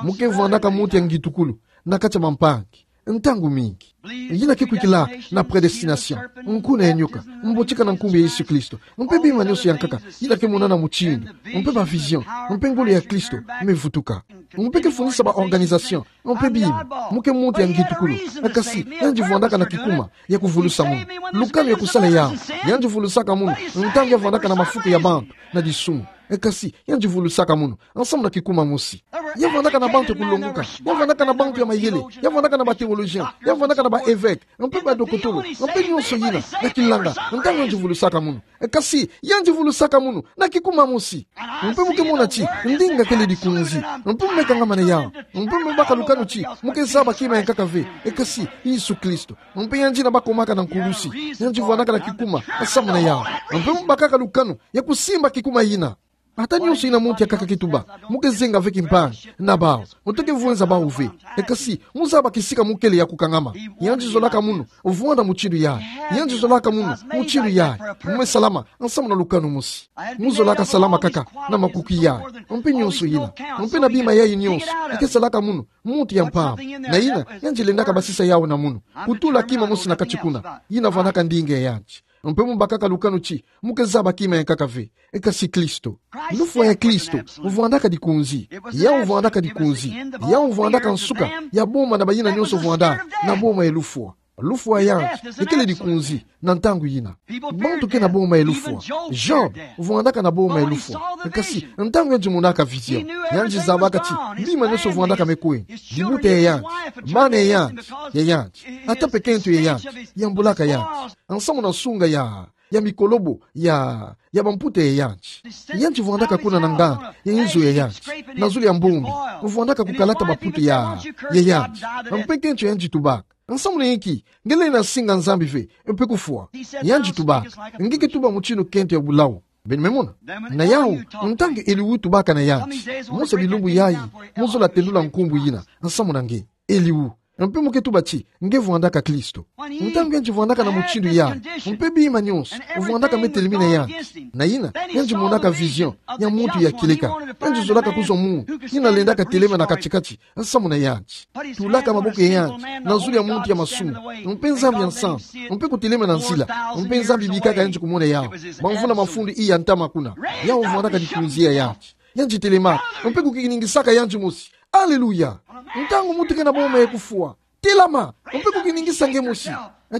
Mu ke vwandaka muntu ya ngitukulu na kati ya bampangi ntangu mingi. Yina ke kwikila na prédestination, nkuna ya nyoka, mbotika na nkumbu ya Yesu Kristo, mpe bima nionso ya nkaka yina ke monana mutindu, mpe ba vision, mpe ngolo ya Kristo me vutuka. Mpe ke fundisa ba organisation, mpe bima, mu ke muntu ya ngitukulu. Kasi, yandi vwandaka na kikuma ya kuvulusa munu. Lukanu ya kusala yau, yandi vulusaka munu ntangu ya vwandaka na mafuku ya bantu na disumu. Kasi, yandi vulusaka munu nsamu na kikuma mosi. Ya vwandaka na bantu ya kulongoka, ya vwandaka na bantu ya mayele, ya vwandaka na ba théologien, ya vwandaka na ba évêque, mpe ba dokotolo, mpe nionso yina na kilanga, ntangu yandi vulusaka munu. Kasi, yandi vulusaka munu na kikuma mosi. Mpe mu ke mona ti ndinga kele dikunzi. Mpe mu me kangama na yau. Mpe mu me baka lukanu ti mu ke zaba kima ya nkaka ve, kasi Yesu Kristo. Mpe yandi yina bakomaka na nkulusi, yandi vwandaka na kikuma nsamu na yau. Mpe mu bakaka lukanu ya kusimba kikuma yina. Ata nionso yina muntu ya nkaka ke tuba, mu ke zenga ve kimpangi na bau, mu toke vwenza bau ve. Kasi, mu zaba kisika mu kele ya kukangama. Yandi zolaka munu vwanda mutindu yayi. Yandi zolaka munu mutindu yayi. Mu me salama nsamu na lukanu mosi. Mu zolaka salama kaka na makuki yayi, mpe nionso yina, mpe na bima yayi nionso. Ke salaka munu muntu ya mpamba. Na yina yandi lendaka basisa yau na munu, kutula kima mosi na kati kuna. Yina vwandaka ndinga ya yandi. Mpe mu bakaka lukanu ti mu ke zaba kima ya nkaka ve, kasi Kristo. Lufwa ya Kristo vwandaka dikunzi. Yau vwandaka dikunzi. Yau vwandaka nsuka ya boma na bayina nionso vwandaka na boma ya lufwa. Lufwa ya yandi ya kele dikunzi na ntangu yina. Bantu ke na boma ya lufwa. Job vwandaka na boma ya lufwa. Kasi ntangu yandi monaka vision, yandi zabaka ti bima nionso vwandaka me kwenda. Dibuta ya yandi, bana ya yandi, ya yandi, ata pekento ya yandi, yambulaka yandi nsamu na nsunga ya, ya mikolobo ya, ya bamputa ya yandi. Yandi vwandaka kuna na nganda ya inzo ya yandi, na zulu ya mbombi, vwandaka kukalata bamputa ya, ya yandi. Mpe kento yandi tubaka: Nsamu na inki nge lenda singa Nzambi ve, mpe kufwa? Yandi tubaka: Nge ke tuba mutindu kento ya bulau. Beno me mona. Na yau, ntangu Elihu tubaka na yandi, mosi ya bilumbu yayi, mu zola telula nkumbu yina, nsamu na nge, Elihu. Mpe mu ke tuba ti nge vwandaka Kristo. Ntangu yandi vwandaka na mutindu yayi, mpe bima nyonso vwandaka me telemi na yandi, na yina yandi monaka vision ya muntu ya kieleka. Yandi zolaka kuzwa muntu yina lendaka telema na kati-kati nsamu na yandi. Tulaka maboko ya yandi na zulu ya muntu ya masumu, mpe Nzambi ya nsamu, mpe kutelema na nzila, mpe Nzambi bikaka yandi kumona yau. Bamvuna mafundu iya ntama kuna, yau vwandaka likunzi ya yandi. Yandi telemaka, mpe kukiningisaka yandi mosi. Aleluya! Ntangu muntu ke na boma ya kufwa, telama, mpe kukiningisa nge mosi.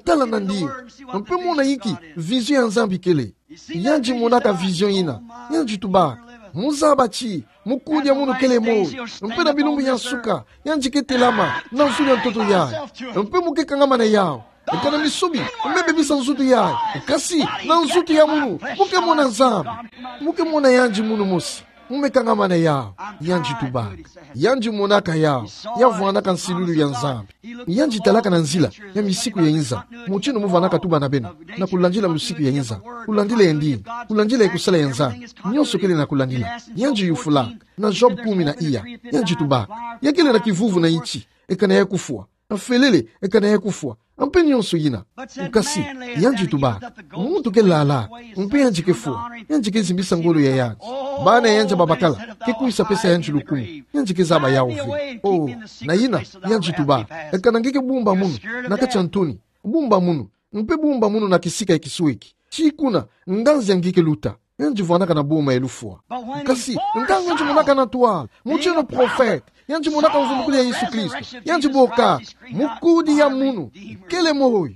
Tala nandi, mpe mona inki vision ya Nzambi kele. Yandi monaka vision yina, yandi tubaka: Mu zaba ti mukudi ya munu kele moyo, mpe na bilumbu ya nsuka yandi ke telama na zulu ya ntoto yayi, mpe mu ke kangama na yau. Kana misobi me bebisa nzutu yayi, kasi na nzutu ya munu mu ke mona Nzambi. Mu ke mona yandi munu mosi mu me kangama na yau. Yandi tubaka, yandi monaka yau, ya vwandaka nsilulu ya Nzambi. Yandi talaka na nzila ya misiku ya inza, mutindu mu vwandaka tuba na beno, na kulandila musiku ya inza, kulandila ya ndinga, kulandila ya kusala ya Nzambi. Nyonso kele na kulandila. Yandi yufula na Job kumi na iya, yandi tubaka: Ya kele na kivuvu na nti, e kana ya kufwa. Felele, e kana ya kufwa, mpe nyonso yina. Kasi yandi tubaka: Muntu ke lala, mpe yandi ke fwa, yandi ke zimbisa ngolo ya yandi. Bana ya yandi babakala ke kwisa pesa yandi lukumu, yandi ke zaba yau ve. Oh, na yina yandi tubaka: Kana nge ke bumba munu na kati ya ntoni, bumba munu, mpe bumba munu na kisika ya kisweki, ti kuna nganzi ya nge ke luta. Yandi vwandaka na boma ya lufwa. Kasi ntangu yandi monaka na ntwala, mutindu profete, yandi monaka mvumbukulu ya Yesu Kristo, yandi bokaka: Mukudi ya munu kele moyo.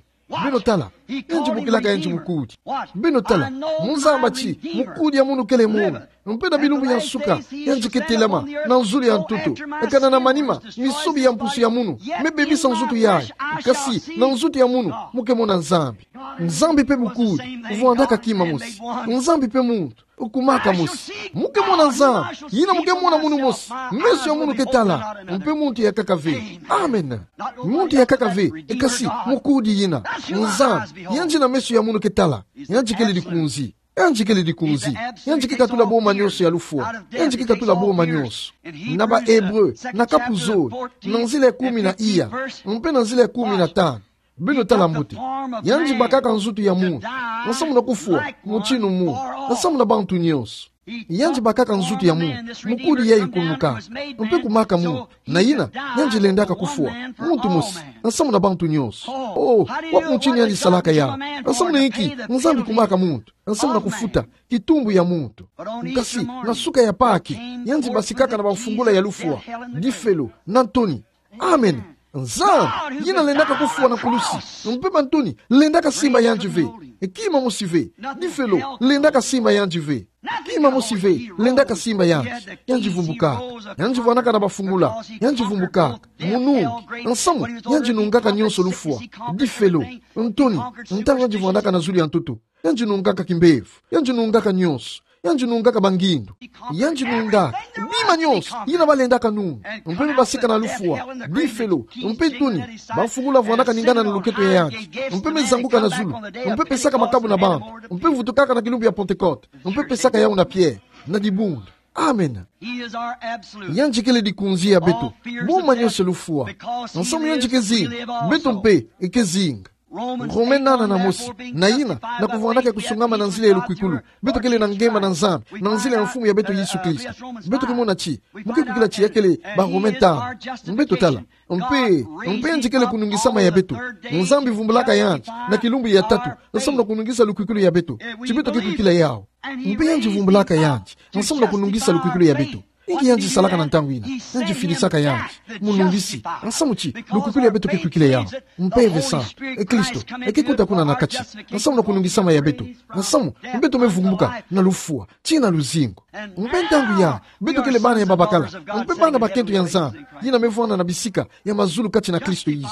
Beno tala, yandi bokilaka yandi mukudi. Beno tala, mu zaba ti mukudi ya munu kele moyo, mpe na bilumbu ya nsuka yandi ke telama na zulu ya ntoto. Kana na manima, misobi ya mpusu ya munu me bebisa nzutu yayi, kasi na nzutu ya munu mu ke mona Nzambi. Nzambi mpe mukudi, vwandaka kima mosi. Nzambi mpe muntu, kumaka mosi. Mu ke mona Nzambi, yina mu ke mona munu mosi. Meso ya munu ke tala, mpe muntu ya nkaka ve. Amen. Muntu ya nkaka ve, kasi mukudi yina, Nzambi, yandi na meso ya munu ke tala. Yandi kele likunzi. Yandi kele likunzi. Yandi ke katula boma nyonso ya lufwa. Yandi ke katula boma nyonso. Na ba Hébreux, na kapu zole, na nzila ya kumi na iya, mpe na nzila ya kumi na tanu. Beno tala mbote. Yandi bakaka nzutu ya muntu nsamu na kufwa mutindu muntu, nsamu na bantu nyonso. Yandi bakaka nzutu ya muntu, mukudi yayi kunukaka, mpe kumaka muntu. Na yina, yandi lendaka kufwa muntu mosi nsamu na bantu nyonso. Oh, wapi mutindu yandi salaka yau? Nsamu na inki Nzambi kumaka muntu nsamu na kufuta kitumbu ya muntu? Kasi na suka ya Pake, yandi basikaka na bamfungula ya lufwa, difelo, na ntoni. Amen. Nzambi, yina lendaka kufwa na kulusi, mpe bantoni lendaka simba yandi ve. Kima mosi ve. Difelo lendaka simba yandi ve. Kima mosi ve lendaka simba yandi. Yandi vumbukaka. Yandi vwanaka na bafungula. Yandi vumbukaka. Munungi. Nsamu, yandi nungaka nyonso lufwa, difelo, ntoni, ntangu yandi vwanaka na zulu ya ntoto. Yandi nungaka kimbevo. Yandi nungaka nyonso. Yandi nungaka bangindu. Yandi nungaka bima nyonso yina balendaka nunga. Mpe me basika na lufwa, difelo, mpe ntoni. Bafungula vwanaka ningana na luketo ya yandi. Mpe me zanguka na zulu. Mpe pesaka makabu na bantu. Mpe vutukaka na kilumbu ya Pentekote. Mpe pesaka yau na Pierre, na dibundu. Amen. Yandi kele dikunzi ya beto. Boma nyonso lufwa. Nsamu yandi ke zinga, beto mpe ke zinga. Rome nana na mosi. Na yina, na kuvwandaka ya kusungama na nzila ya lukwikulu, beto kele na ngemba na Nzambi na nzila ya Mfumu ya beto Yesu Kristo. Beto ke mona ti, mu ke kwikila ti ya kele ba Rome tanu. Beto tala. Mpe, mpe yandi kele kunungisama ya beto. Nzambi vumbulaka yandi na kilumbu ya tatu, nsamu na kunungisa lukwikulu ya beto. Ti beto ke kwikila yau. Mpe yandi vumbulaka yandi nsamu na kunungisa lukwikulu ya beto. Inki yandi salaka na ntangu yina? Yandi filisaka yandi munungisi, nsamu ti lukwikulu ya beto ke kwikila yau. Mpeve Santu, e Kristo, e ke kota kuna na kati, nsamu na kunungisama ya beto. Nsamu, mpe beto me vunguka na lufwa tii na luzingu. Mpe ntangu ya, beto kele bana ya babakala, mpe bana bakento ya Nzambi, yina me vwanda na bisika ya mazulu kati na Kristo Yesu.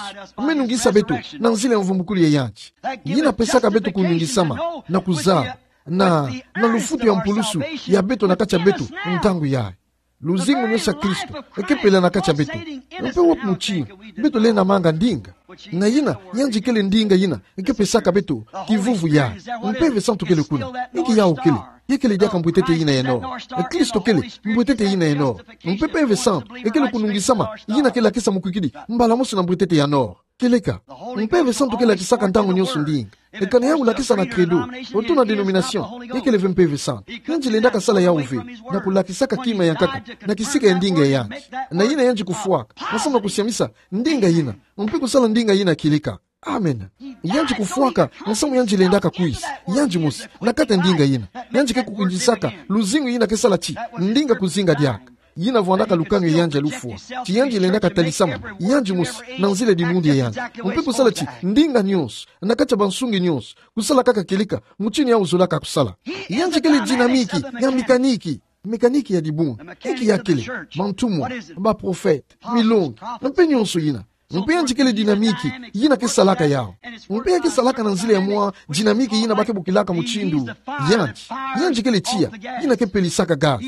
Me nungisa beto na nzila ya mvumbukulu ya yandi. Yina pesaka beto kunungisama, na kuzaba, na, na lufutu ya mpulusu ya beto na kati ya beto, ntangu yayi. Luzingu nyonso ya Kristo e ke pela na kati ya beto. Mpe wapi mutindu beto lenda manga ndinga? Na yina, yandi kele ndinga yina e ke pesaka beto kivuvu yayi. Mpeve Santu kele kuna. Inki yau kele? Yakele diaka mbwetete yina ya nord. Kristo kele mbwetete yina ya nord. Mpeve santu ekele kunungisama yina ke lakisa mukwikidi mbala mosi na mbwetete ya nord. Kieleka. Mpeve santu ke lakisaka ntangu nionso ndinga. Ekana yau lakisa na credo, oto na denomination, yakele ve mpeve santu. Yandi lendaka sala yau ve, na kulakisaka kima ya nkaka na kisika ya ndinga ya yandi. Na yina yandi kufwaka, nsamu na kusiamisa ndinga yina, mpe kusala ndinga yina kieleka. Amen. Yandi kufwaka nsamu yandi lendaka kwisa, yandi mosi, na kati ya ndinga yina. Yandi ke kukwindisaka luzingu yina ke sala ti ndinga kuzinga diaka. Yina vwandaka lukanu ya yandi ya lufwa. Ti yandi lendaka talisama yandi mosi na nzila di mundu ya yandi, mpe kusala ti ndinga nionso, na kati ya bansungi nionso, kusala kaka kieleka mutindu yau zolaka kusala. Yandi kele dinamiki ya mekaniki. Mekaniki ya dibunga. Inki yakele? Bantumwa, baprofete, milongi, mpe nionso yina. Mpe yandi kele dinamiki yina ke salaka yau. Mpe ya ke salaka na nzila ya mwa dinamiki yina ba ke bokilaka mutindu yandi. Yandi kele tiya yina ke pelisaka gaz.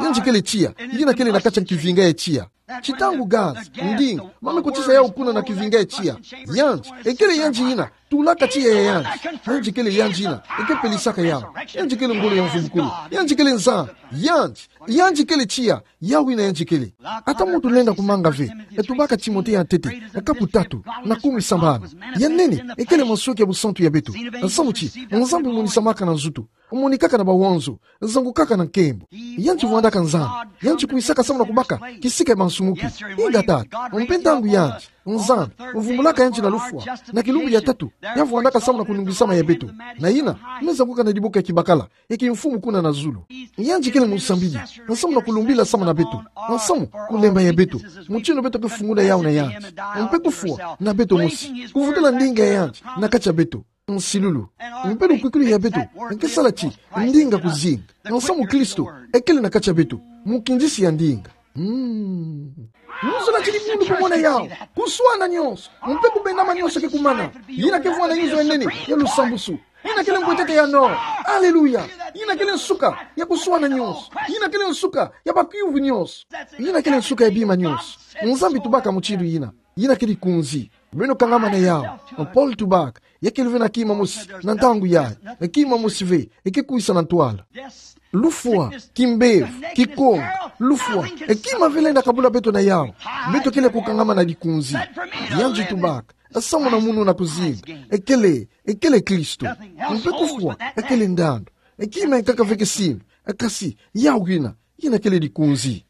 Yandi kele tiya yina kele na kati ya kivinga ya tiya. Ti ntangu gaz, ndinga, ba me kotisa yau kuna na kivinga ya tiya, yandi, ekele yandi yina tulaka tiya ya yandi. Yandi kele yandi yina eke pelisaka yau. Yandi kele ngolo ya mvumbukulu. Yandi kele Nzambi. Yandi, yandi kele tiya. Yau yina yandi kele. Ata muntu lenda kumanga ve, e tubaka Timote ya ntete, kapu tatu, na kumi sambanu. Ya nene ekele mansweki ya busantu ya beto. Nsamu ti Nzambi monisamaka na nzutu, monikaka na bawonzo, zangukaka na nkembo. Yandi vwandaka Nzambi. Yandi kwisaka samu na kubaka kisika ya bansumuki. Ingeta. Mpe ntangu yandi, Nzambi, mvumbulaka yandi na lufwa, na kilumbu ya tatu ya vwandaka samu na kunungisama ya beto. Na yina me zanguka na diboki ya kibakala ya kimfumu kuna na zulu. Yandi kele musambidi, nsamu na kulumbila samu na beto, nsamu kulemba ya beto, mutindu beto ke fungula yau na yandi, mpe kufwa na beto mosi, kuvutula ndinga ya yandi na kati ya beto. Nsilulu. Mpe lukwikulu ya beto ke sala ti ndinga kuzinga, nsamu Kristo ekele na kati ya beto, mukindisi ya ndinga. Mm. Nzolele ti dibundu kumona yau, kuswana nionso, mpe kubendama nionso ke kumana. Yina ke vwanda nzo ya nene ya lusambusu. Yina kele mbwetete ya nord. Aleluya. Yina kele nsuka ya kuswana nionso. Yina kele nsuka ya bakiuvu nionso. Yina kele nsuka ya bima nionso. Nzambi tubaka mutindu yina. Yina kele dikunzi. Beno kangama na yau. Paul tubaka, yakele ve na kima mosi na ntangu yayi. Kima mosi ve eke kwisa na ntwala. Lufwa, kimbevo, kikonga, lufwa, e kima ve lenda kabula beto na yau. Beto kele kukangama na dikunzi. Yandi tubaka, samu na munu na kuzinga, ekele, ekele Kristo. Mpe kufwa ekele ndandu. E kima ya nkaka ve ke simba, kasi yau yina, yina kele dikunzi.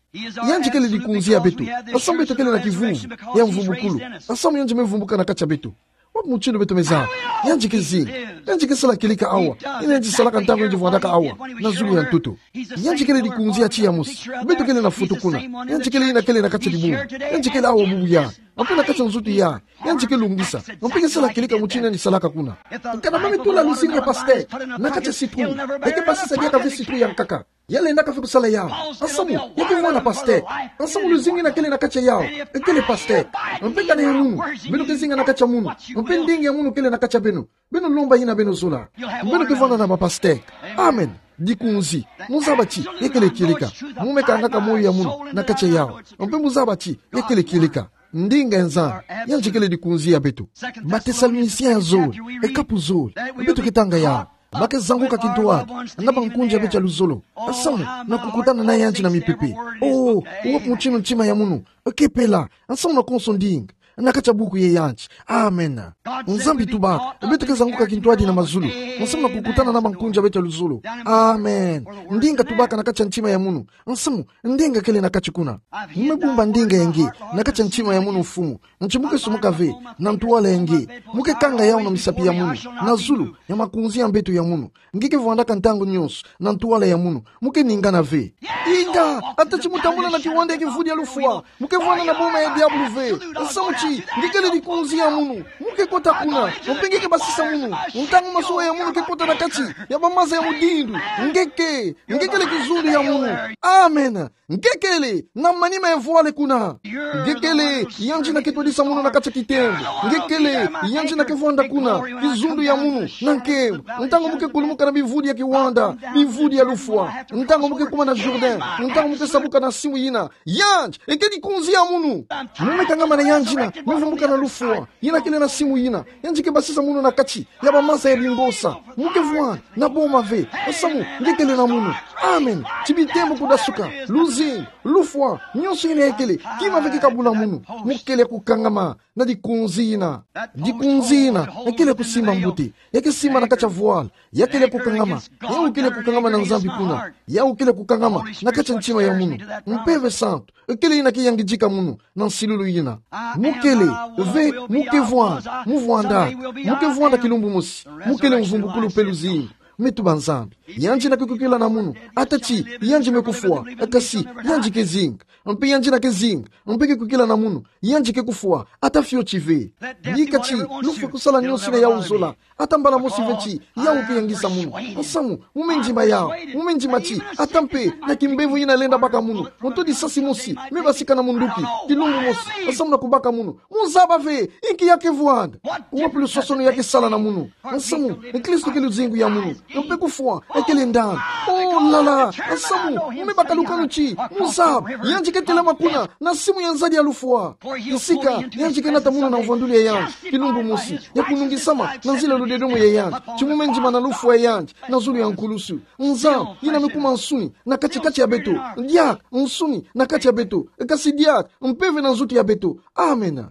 Yandi kele dikunzi ya beto, samu beto kele na kivuvu ya mvumbukulu, samu yandi me vumbuka na kati ya beto. Wapi mutindu beto me zaba? Yandi ke zinga. Yandi ke sala kieleka awa. Yina yandi salaka ntangu yandi vwandaka awa na zulu ya ntoto. Yandi kele dikunzi ya tiya mosi. Beto kele na futu kuna. Yandi kele yina kele na kati ya dibundu. Yandi kele awa bubu yayi. Mpe na kati ya nzutu yayi. Yandi ke lungisa. Mpe ke sala kieleka mutindu yandi salaka kuna. Kana ba me tula luzingu ya pasteur na kati ya citrouille, e ke basisa diaka ve citrouille ya nkaka. Ya lendaka ve kusala yau. Nsamu, ya ke vwanda pasteur. Nsamu luzingu yina kele na kati ya yau, ekele pasteur. Mpe kana ya munu, beno ke zinga na kati ya munu. Mpe ndinga ya munu kele na kati ya beno. Beno lomba yina beno zola. Beno ke vwanda na bapasteur. Amen. Dikunzi. Mu zaba ti ya kele kieleka. Mu me kangaka moyo ya munu na kati ya yau. Mpe mu zaba ti ya kele kieleka. Ndinga ya Nzambi, yandi kele dikunzi ya beto. Batesalonisie ya zole, e kapu zole, beto ke tanga yau. Ba ke zanguka kintwadi na bankunzi ya beto ya luzolo, samu na kukutana na yandi na mipepe. Oh, wapi mutindu ntima ya munu ke pela, samu na konso ndinga na kati ya buku ya yandi. Amen. Nzambi tubaka, beto ke zanguka kintwadi na mazulu, samu na kukutana na bankunzi ya beto ya luzolo. Amen. Ndinga tubaka na kati ya ntima ya munu, samu ndinga kele na kati kuna. Mu me bumba ndinga ya nge na kati ya ntima ya munu, Mfumu. Nti mu ke sumuka ve na ntwala ya nge. Mu ke kanga yau na misapi ya munu, na zulu ya makunzi ya mbeto ya munu. Nge ke vwandaka ntangu nionso na ntwala ya munu. Mu ke ningana ve. Inga, ata ti mu tambula na kiwanda ya kivudi ya lufwa, mu ke vwanda na boma ya diabulu ve. Samu ti nge kele dikunzi ya munu. Mu ke kota kuna, mpe nge ke basisa munu. Ntangu masuwa ya munu ke kota na kati ya bamaza ya mudindu, nge ke, nge kele kizundu ya munu. Amen. Nge kele na manima ya vwala kuna. Nge kele yandi yina ke twadisa munu na kati ya kitembo. Nge kele yandi yina ke vwanda kuna kizundu ya munu na nkembo. Ntangu mu ke kulumuka na bivudi ya kiwanda, bivudi ya lufwa, ntangu mu ke kuma na Jourdain, Ntangu mu ke sabuka na simu yina, yandi, ekedi kunzi ya munu. Mu me kangama na yandi yina, me vumbuka na lufwa yina kele na simu yina. Yandi ke basisa munu na kati ya bamansa ya bingosa. Mu ke vwanda na boma ve. Nsamu, nge kele na munu. Amen. Ti bitembo kudasuka, luzingu, lufwa, nyonso yina ekele, kima ve ke kabula munu. Mu kele kukangama na dikunzi yina. Dikunzi yina, ekele kusimba mbote. Ya ke simba na kati ya vwala. Ya kele kukangama. Yawu kele kukangama na Nzambi kuna. Yawu kele kukangama na kati ya ntima ya munu. Mpeve santu, ekele yina ke yangidika munu na nsilulu yina. Mu kele ve, mu ke vwanda, mu vwanda. Mu ke vwanda kilumbu mosi. Mu kele mvumbukulu mpe luzingu. Me tuba Nzambi, yandi yina ke kwikila na munu, ata ti yandi me kufwa, kasi yandi ke zinga. Mpe yandi yina ke zinga, mpe ke kwikila na munu, yandi ke kufwa ata fioti ve. Bika ti lufwa kusala nyonso yina yawu zola, ata mbala mosi ve ti yawu ke yangisa munu. Nsamu, mu me ndima yawu, mu me ndima ti ata mpe na kimbevo yina lenda baka munu, moto disasi mosi me basika na munduki kilumbu mosi, nsamu, na kubaka munu. Mu zaba ve inki ya ke vwanda, wapi luswaswanu ya ke sala na munu. Nsamu, Kristo ke luzingu ya munu. Mpe kufwa ekele ndani. Oh la la. Nsamu, mu me baka lukanu ti mu zaba yandi ke telama kuna na simu ya nzadi ya lufwa. Kisika yandi ke nata munu na mvwandulu ya yandi kilumbu mosi, ya kunungisama na nzila ludedomo ya yandi, ti mu me ndima na lufwa ya yandi na zulu ya nkulusu. Nzambi yina me kuma nsuni na kati-kati ya beto. Diaka nsuni na kati ya beto, kasi diaka mpeve na nzutu ya beto. Amen.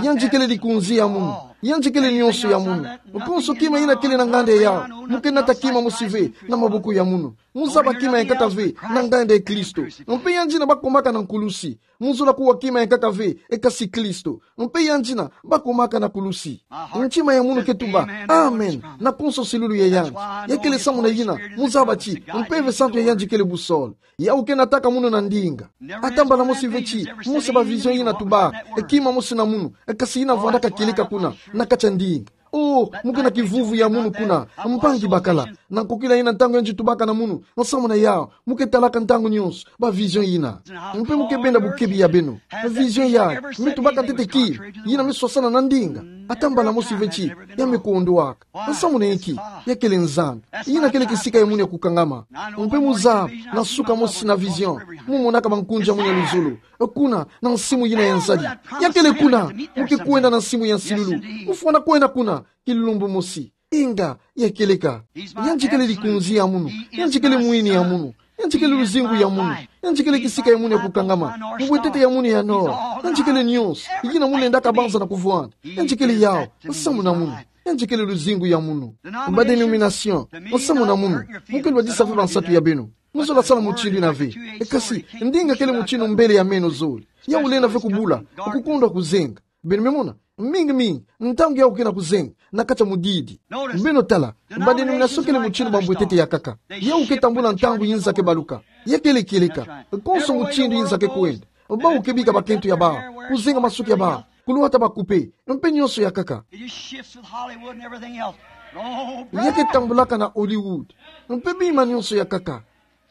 Yandi kele likunzi ya munu. Yandi kele nyonso ya munu. Konso kima yina kele na nganda yawu, mu ke nata kima mosi ve na maboko ya munu. Mu zaba kima ya nkaka ve na nganda ya Kristo. Mpe yandi yina bakomaka na nkulusi, mu zola kuwa kima ya nkaka ve, e kasi Kristo. Mpe yandi yina bakomaka na kulusi. Ntima ya munu ke tuba amen na konso nsilulu ya yandi. Ya kele samu na yina mu zaba ti mpeve santu ya yandi kele boussole. Yawu ke nataka munu na ndinga. Ata mbala mosi ve ti mu sa ba vision yina tubaka, e kima mosi na munu, e kasi yina vwandaka kieleka kuna na kati ya ndinga. Oh, mu ke na kivuvu ya munu kuna, mpangi bakala. Na nkokila yina ntangu yandi tubaka na munu, nsamu na yawu, mu ke talaka ntangu nyonso ba vision yina. Mpe mu ke benda bukebi ya beno. Vision yayi me tubaka ntete kima, yina me swasana na ndinga. Ata mbala mosi ve ti ya me kondwaka. Nsamu na inki? Ya kele Nzambi. Yina kele kisika ya munu ya kukangama. Mpe mu zaba na suka mosi na vision, mu monaka bankunzi ya munu ya luzolo kuna na nsimu yina ya nzadi. Ya kele kuna. Mu ke kwenda na nsimu ya nsilulu. Mu fwana kwenda kuna kilumbu mosi. Inga, ya kieleka. Yandi kele likunzi ya munu. Yandi kele mwini ya munu. Yandi kele luzingu ya munu. Yandi kele kisika ya munu ya kukangama. Mbwetete ya munu ya nord. Yandi kele nyonso yina mu lendaka banza na kuvwanda. Yandi kele yawu, nsamu na munu. Yandi kele luzingu ya munu. Ba denomination, nsamu na munu. Mu ke lwadisa ve bansatu ya beno. Mu zola sala mutindu yina ve. E kasi ndinga kele mutindu mbele ya meno zole. Yawu lenda ve kubula, kukondwa kuzenga. Beno me mona, mingi mingi ntangu yawu ke na kuzenga na kati ya mudidi. Beno tala, ba denomination kele mutindu ba mbwetete ya nkaka. Yawu ke tambula ntangu yinza ke baluka. Ya kele kieleka. Konso mutindu yinza ke kwenda, bawu ke bika bakento ya bawu, kuzenga masuki ya bawu, kulwata ba coupe, mpe nyonso ya nkaka. It just shifts with Hollywood and everything else. Oh, ya ke tambulaka na Hollywood, mpe bima nyonso ya nkaka.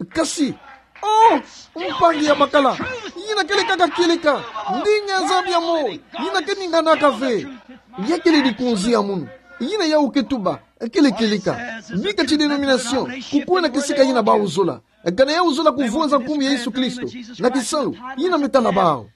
Kasi, oh, mpangi ya bakala, yina kele kaka kieleka. Ndinga ya Nzambi ya moyo, yina ke ninganaka ve. Ya kele likunzi ya munu. Yina yawu ke tuba, kele kieleka. Bika ti denomination kukwenda kisika yina bawu zola. Kana yawu zola kuvunza nkumbu ya Yesu Kristo na kisalu, yina me tala bawu.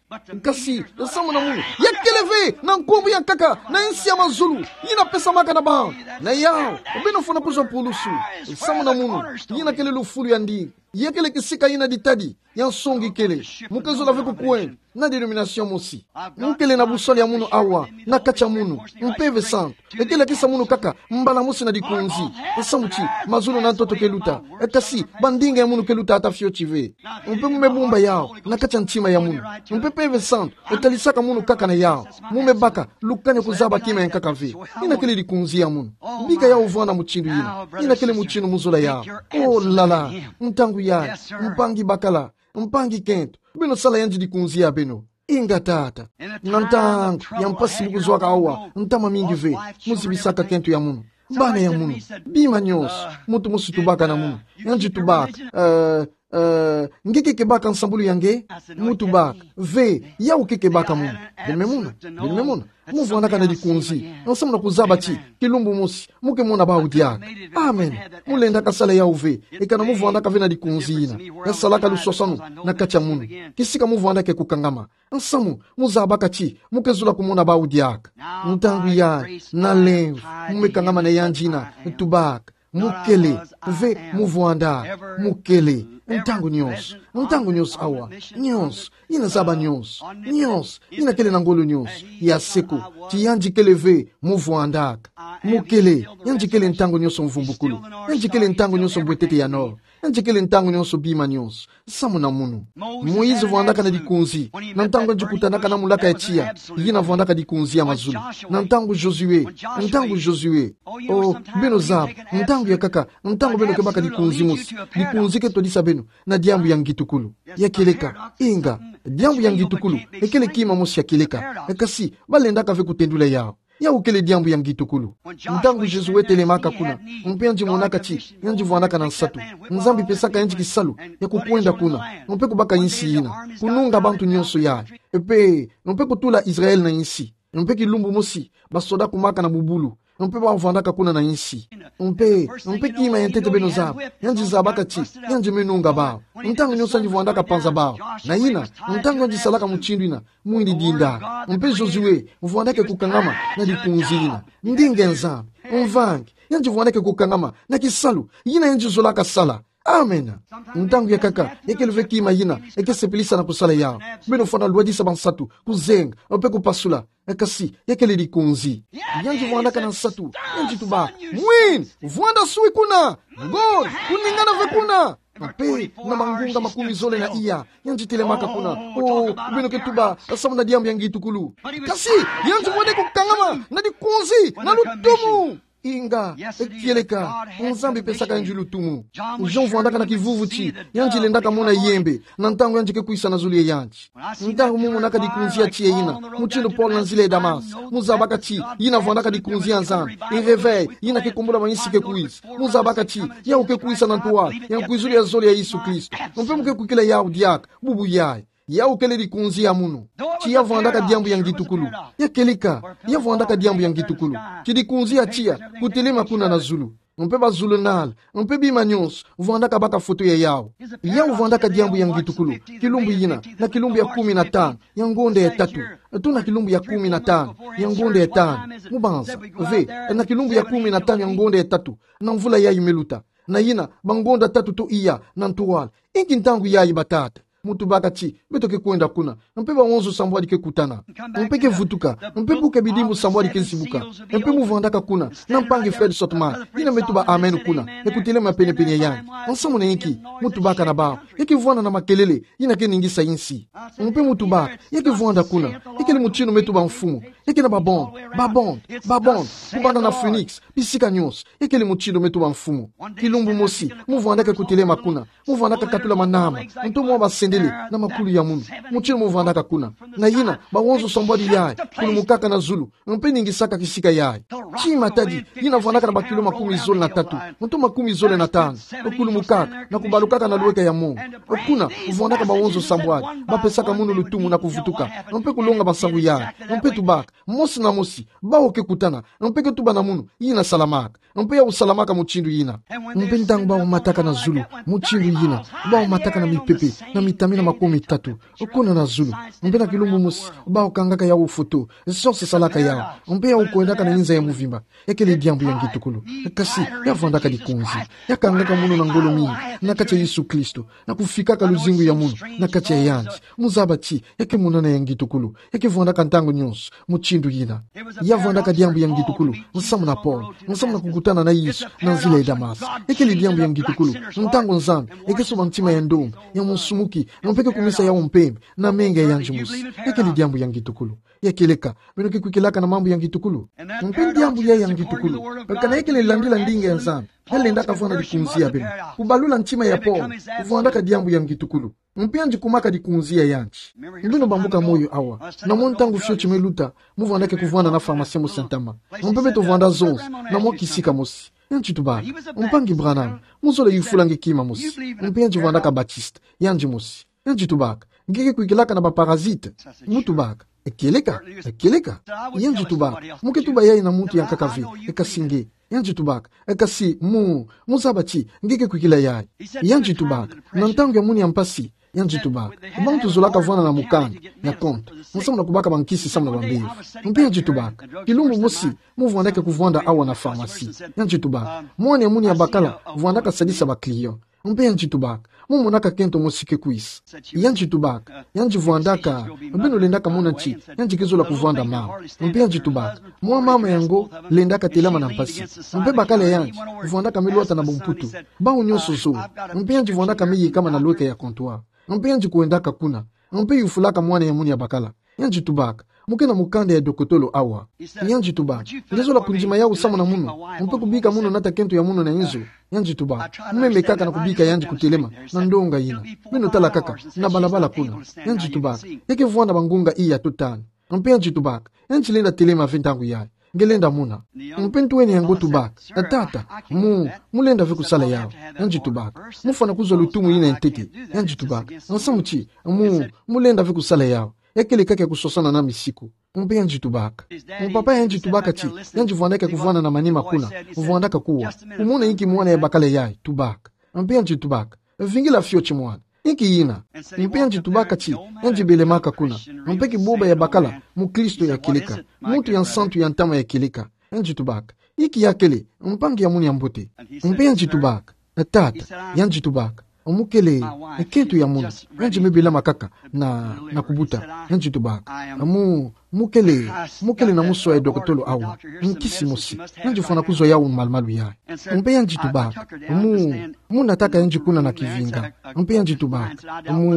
Kasi nsamu na munu, ya kele ve na nkumbu ya nkaka na insi ya mazulu, yina pesamaka na bawu. Na yawu beno fwana kuzwa pulusu. Nsamu na munu, yina kele lufulu ya ndinga. Ya kele kisika yina ditadi ya nsongi kele. Mu ke zola ve kukwenda na denomination mosi. Mu kele na boussole ya munu awa na kati ya munu, mpeve santu. E ke lakisa munu kaka mbala mosi na likunzi. Nsamu ti mazulu na ntoto ke luta, e kasi ba ndinga ya munu ke luta ata fioti ve. Mpe mu me bumba yawu na kati ya ntima ya munu. Mpe Mpeve Santu e talisaka munu kaka na yawu. Mu me baka lukani ya kuzaba kima ya nkaka ve. Yina kele likunzi ya munu. Bika yawu vwanda mutindu yina. Yina kele mutindu mu zola yawu. Oh là là. Ntangu yayi, mpangi bakala, mpangi kento, beno sala yandi likunzi ya beno. Inga tata. Na ntangu ya mpasi mu kuzwaka awa, ntama mingi ve, mu zibisaka kento ya munu, bana ya munu, bima nyonso, muntu mosi tubaka na munu, yandi tubaka, eh, eh, nge ke kebaka nsambulu ya nge? Mu tubaka: Ve, yawu ke kebaka munu. Beno me mona? Beno me mona? Mu vwandaka na likunzi, nsamu na kuzaba ti, kilumbu mosi, mu ke mona bawu diaka. Amen. Mu lendaka sala yawu ve, ekana mu vwandaka ve na likunzi yina. Ya salaka luswaswanu na kati ya munu. Kisika mu vwandaka kukangama. Nsamu, mu zabaka ti, mu ke zula kumona bawu diaka. Ntangu yayi, na lemvo, mu me kangama na yandi yina, tubaka: Mukele, ve mu vwanda. Mukele, ntangu nyonso, ntangu nyonso awa, nyonso, yina zaba nyonso, nyonso, yina kele na ngolo nyonso, ya seko, ti yandi kele ve mu vwandaka. Mukele, yandi kele ntangu nyonso mvumbukulu, yandi kele ntangu nyonso mbwetete ya nord, yandi kele ntangu nyonso bima nyonso, nsamu na munu. Moïse vwandaka na likunzi, na ntangu yandi kutanaka na mulaka ya tiya, yina vwandaka likunzi ya mazulu. Na ntangu Josué, ntangu Josué. Oh, beno zaba, ntangu ya nkaka, ntangu beno kebaka likunzi mosi, likunzi ke twadisa beno na diambu ya ngitukulu. Ya kieleka, inga, diambu ya ngitukulu, ekele kima mosi ya kieleka, kasi, balendaka ve kutendula yawu. Yawu kele diambu ya ngitukulu. Ntangu Josué telemaka kuna, mpe yandi monaka ti, yandi vwandaka na nsatu. Nzambi pesaka yandi kisalu ya kukwenda kuna, mpe kubaka insi yina, kununga bantu nyonso yayi. Mpe, mpe kutula Israël na insi. Mpe kilumbu mosi, basoda kumaka na bubulu. Mpe ba vwandaka kuna na insi. Mpe, mpe kima ya ntete beno zaba, yandi zabaka ti, yandi me nunga bawu. Ntangu nyonso yandi vwandaka panza bawu. Na yina, ntangu yandi salaka mutindu yina, mwini dinda. Mpe Josué, vwandaka kukangama na likunzi yina. Ndinga Nzambi, mvangi, yandi vwandaka kukangama na kisalu yina yandi zolaka sala. Amen. Ntangu ya nkaka, ekele ve kima yina eke sepelisa na kusala yawu. Beno fwana lwadisa bansatu, kuzenga, mpe kupasula. Kasi, ya kele likunzi. Yandi vwandaka na nsatu, yandi tubaka: Mwini, vwanda swi kuna. Ngolo, kuningana ve kuna. Mpe, na mangunga makumi zole na iya, yandi telemaka kuna. Oh, beno ke tuba, nsamu na diambu ya ngitukulu. Kasi, yandi vwandaka kukangama na likunzi, na lutumu. Inga, kieleka, Nzambi pesaka yandi lutumu. Jean vwandaka na kivuvu ti, yandi lendaka mona yembe, na ntangu yandi ke kwisa na zulu ya yandi. Ntangu mu monaka likunzi ya tiya yina, mutindu Paul na nzila ya Damas, mu zabaka ti, yina vwandaka likunzi ya Nzambi, e réveil, yina ke kumbula mainsi ke kwisa. Mu zabaka ti, yawu ke kwisa na ntwala ya nkwizulu ya zole ya Yesu Kristo. Mpe mu ke kwikila yawu diaka, bubu yayi. Yawu kele likunzi ya munu. Ti ya vwandaka diambu ya ngitukulu. Ya kieleka, ya vwandaka diambu ya ngitukulu. Ti likunzi ya tiya, kutelema kuna na zulu. Mpe bazulunal, mpe bima nyonso, vwandaka baka foto ya yawu. Yawu vwandaka diambu ya ngitukulu. Kilumbu yina, na kilumbu ya kumi na tanu, ya ngonda ya tatu. Tuna kilumbu ya kumi na tanu, ya ngonda ya tanu. Mu banza, ve, na kilumbu ya kumi na tanu, ya ngonda ya tatu, na mvula yayi me luta. Na yina, bangonda tatu to iya, na ntwala. Inki ntangu yayi batata? Mu tubaka ti, beto ke kwenda kuna, mpe bawonso sambwadi ke kutana. Mpe ke vutuka, mpe buka bidimbu sambwadi ke zibuka. Mpe mu vwandaka kuna, na mpangi Fred Sotman, yina me tuba amen kuna, e kutelema penepene ya yandi. Nsamu na inki? Mu tubaka na bawu, ya ke vwanda na makelele, yina ke ningisa insi. Mpe mu tubaka, ya ke vwanda kuna, ya kele mutindu me tuba mfumu, ya ke na babonde, babonde, babonde, kubanda na Phoenix, bisika nyonso, ya kele mutindu me tuba mfumu. Kilumbu mosi, mu vwandaka kutelema kuna, mu vwandaka katula manama, nto mwa basendele, na makulu ya munu. Mutindu mu vwandaka kuna. Na yina, bawonso sambwadi yayi, kulumukaka na zulu, mpe ningisaka kisika yayi. Ti Matadi, yina vwandaka na bakilo makumi zole na tatu, nto makumi zole na tanu, kulumukaka, na kubalukaka na lweka ya mongo. Kuna, vwandaka bawonso sambwadi, bapesaka munu lutumu na kuvutuka, mpe kulonga bansangu yayi, mpe tubaka, mosi na mosi, bawu ke kutana, mpe ke tuba na munu, yina salamaka. Mpe yawu salamaka mutindu yina. Mpe ntangu bawu mataka na zulu, mutindu yina, bawu mataka na mipepe, na mitami na makumi tatu, kuna na zulu. Mpe na kilumbu mosi, bawu kangaka yawu foto, zonso salaka yawu. Mpe yawu kwendaka na inza ya muvimba. Ya kele diambu ya ngitukulu. Kasi, ya vwandaka likunzi. Ya kangaka munu na ngolo mingi, na kati ya Yesu Kristo. Na kufikaka luzingu ya munu, na kati ya yandi. Mu zaba ti, ya ke munana ya ngitukulu. Ya ke vwandaka ntangu nyonso, mutindu yina. Ya vwandaka diambu ya ngitukulu, nsamu na Paul, nsamu na kukutana na Yesu, na nzila ya Damas. Ya kele diambu ya ngitukulu, ntangu Nzambi, ya ke soba ntima ya ndombi, ya musumuki, mpe ke kumisa yawu mpembe, na menga ya njumu mosi. Ya kele diambu ya ngitukulu. Ya kieleka, beno ke kwikilaka na mambu ya ngitukulu. Mpe diambu yayi ya ngitukulu. Kana ya kele landila ndinga ya Nzambi, ya lendaka vwanda likunzi ya beno. Kubalula ntima ya Paul, vwandaka diambu ya ngitukulu. Mpe yandi kumaka likunzi ya yandi. Beno bambuka moyo awa. Na mwa ntangu fioti me luta, mu vwandaka kuvwanda na pharmacie mosi ya ntama. Mpe beto vwanda zonso, na mwa kisika mosi. Yandi tubaka: Mpangi Branham, mu zola yufula nge kima mosi. Mpe yandi vwandaka Baptiste. Yandi mosi. Yandi tubaka: Nge ke kwikilaka na ba parasite? Mu tubaka: E kieleka, e kieleka. Yandi tubaka: Mu ke tuba yayi na muntu ya nkaka ve, e kasi nge. Yandi tubaka: E kasi mu, mu zaba ti nge ke kwikila yayi. Yandi tubaka: Na ntangu ya munu ya mpasi, yandi tubaka, bantu zolaka vwanda na mukanda ya konto, nsamu na kubaka bankisi samu na bambevo. Mpe yandi tubaka: Kilumbu mosi, mu vwandaka kuvwanda awa na pharmacie. Yandi tubaka: Mwana ya munu ya bakala vwandaka sadisa ba client. Mpe yandi tubaka: Mu monaka kento mosi ke kwisa? Yandi tubaka: Yandi vwandaka, beno lendaka mona ti yandi ke zola kuvwanda mama. Mpe yandi tubaka: Mwa mama yango lendaka telama na mpasi. Mpe bakala ya yandi vwandaka me lwata na bumputu. Bawu nyonso zole. Mpe yandi vwandaka me yekama na lweke ya comptoir. Mpe yandi kwendaka kuna. Mpe yufulaka mwana ya munu ya bakala. Yandi tubaka: Mu ke na mukanda ya dokotolo awa? Yandi tubaka: Nge zola kundima yawu samu na munu, mpe kubika munu nata kento ya munu na inzo? Yandi tubaka: Mu memekaka na kubika yandi kutelema na ndonga yina. Beno tala kaka, na balabala kuna. Yandi tubaka: Ya ke vwanda bangonga iya to tanu. Mpe yandi tubaka: Yandi lenda telema ve ntangu yayi. Nge lenda mona. Mpe ntwene yango tubaka: Tata, mu, mu lenda ve kusala yawu? Yandi tubaka: Mu fwana kuzwa lutumu yina ya ntete. Yandi tubaka: Nsamu ti, mu, mu lenda ve kusala yawu. Ya kele kaka ya kuswasana na misiku. Mpe yandi tubaka: Mu papa yandi tubaka ti yandi vwandaka kuvwanda na manima kuna, vwandaka kuwa, kumona inki mwana ya bakala yayi tubaka. Mpe yandi tubaka: Vingila fioti mwana. Inki yina? Mpe yandi tubaka ti yandi belemaka kuna. Mpe kiboba ya bakala mukristo ya kieleka, muntu ya nsantu ya ntama ya kieleka. Yandi tubaka: Inki ya kele, mpangi ya munu ya mbote? Mpe yandi tubaka: Tata, yandi tubaka, mu kele kento ya munu, yandi me belama kaka na, na kubuta. Yandi tubaka: Mu, mu kele, mu kele na muswa ya dokotolo awa, nkisi mosi. Yandi fwana kuzwa yawu malumalu yayi. Mpe yandi tubaka: Mu, mu nataka yandi kuna na kivinga. Mpe yandi tubaka: Mu,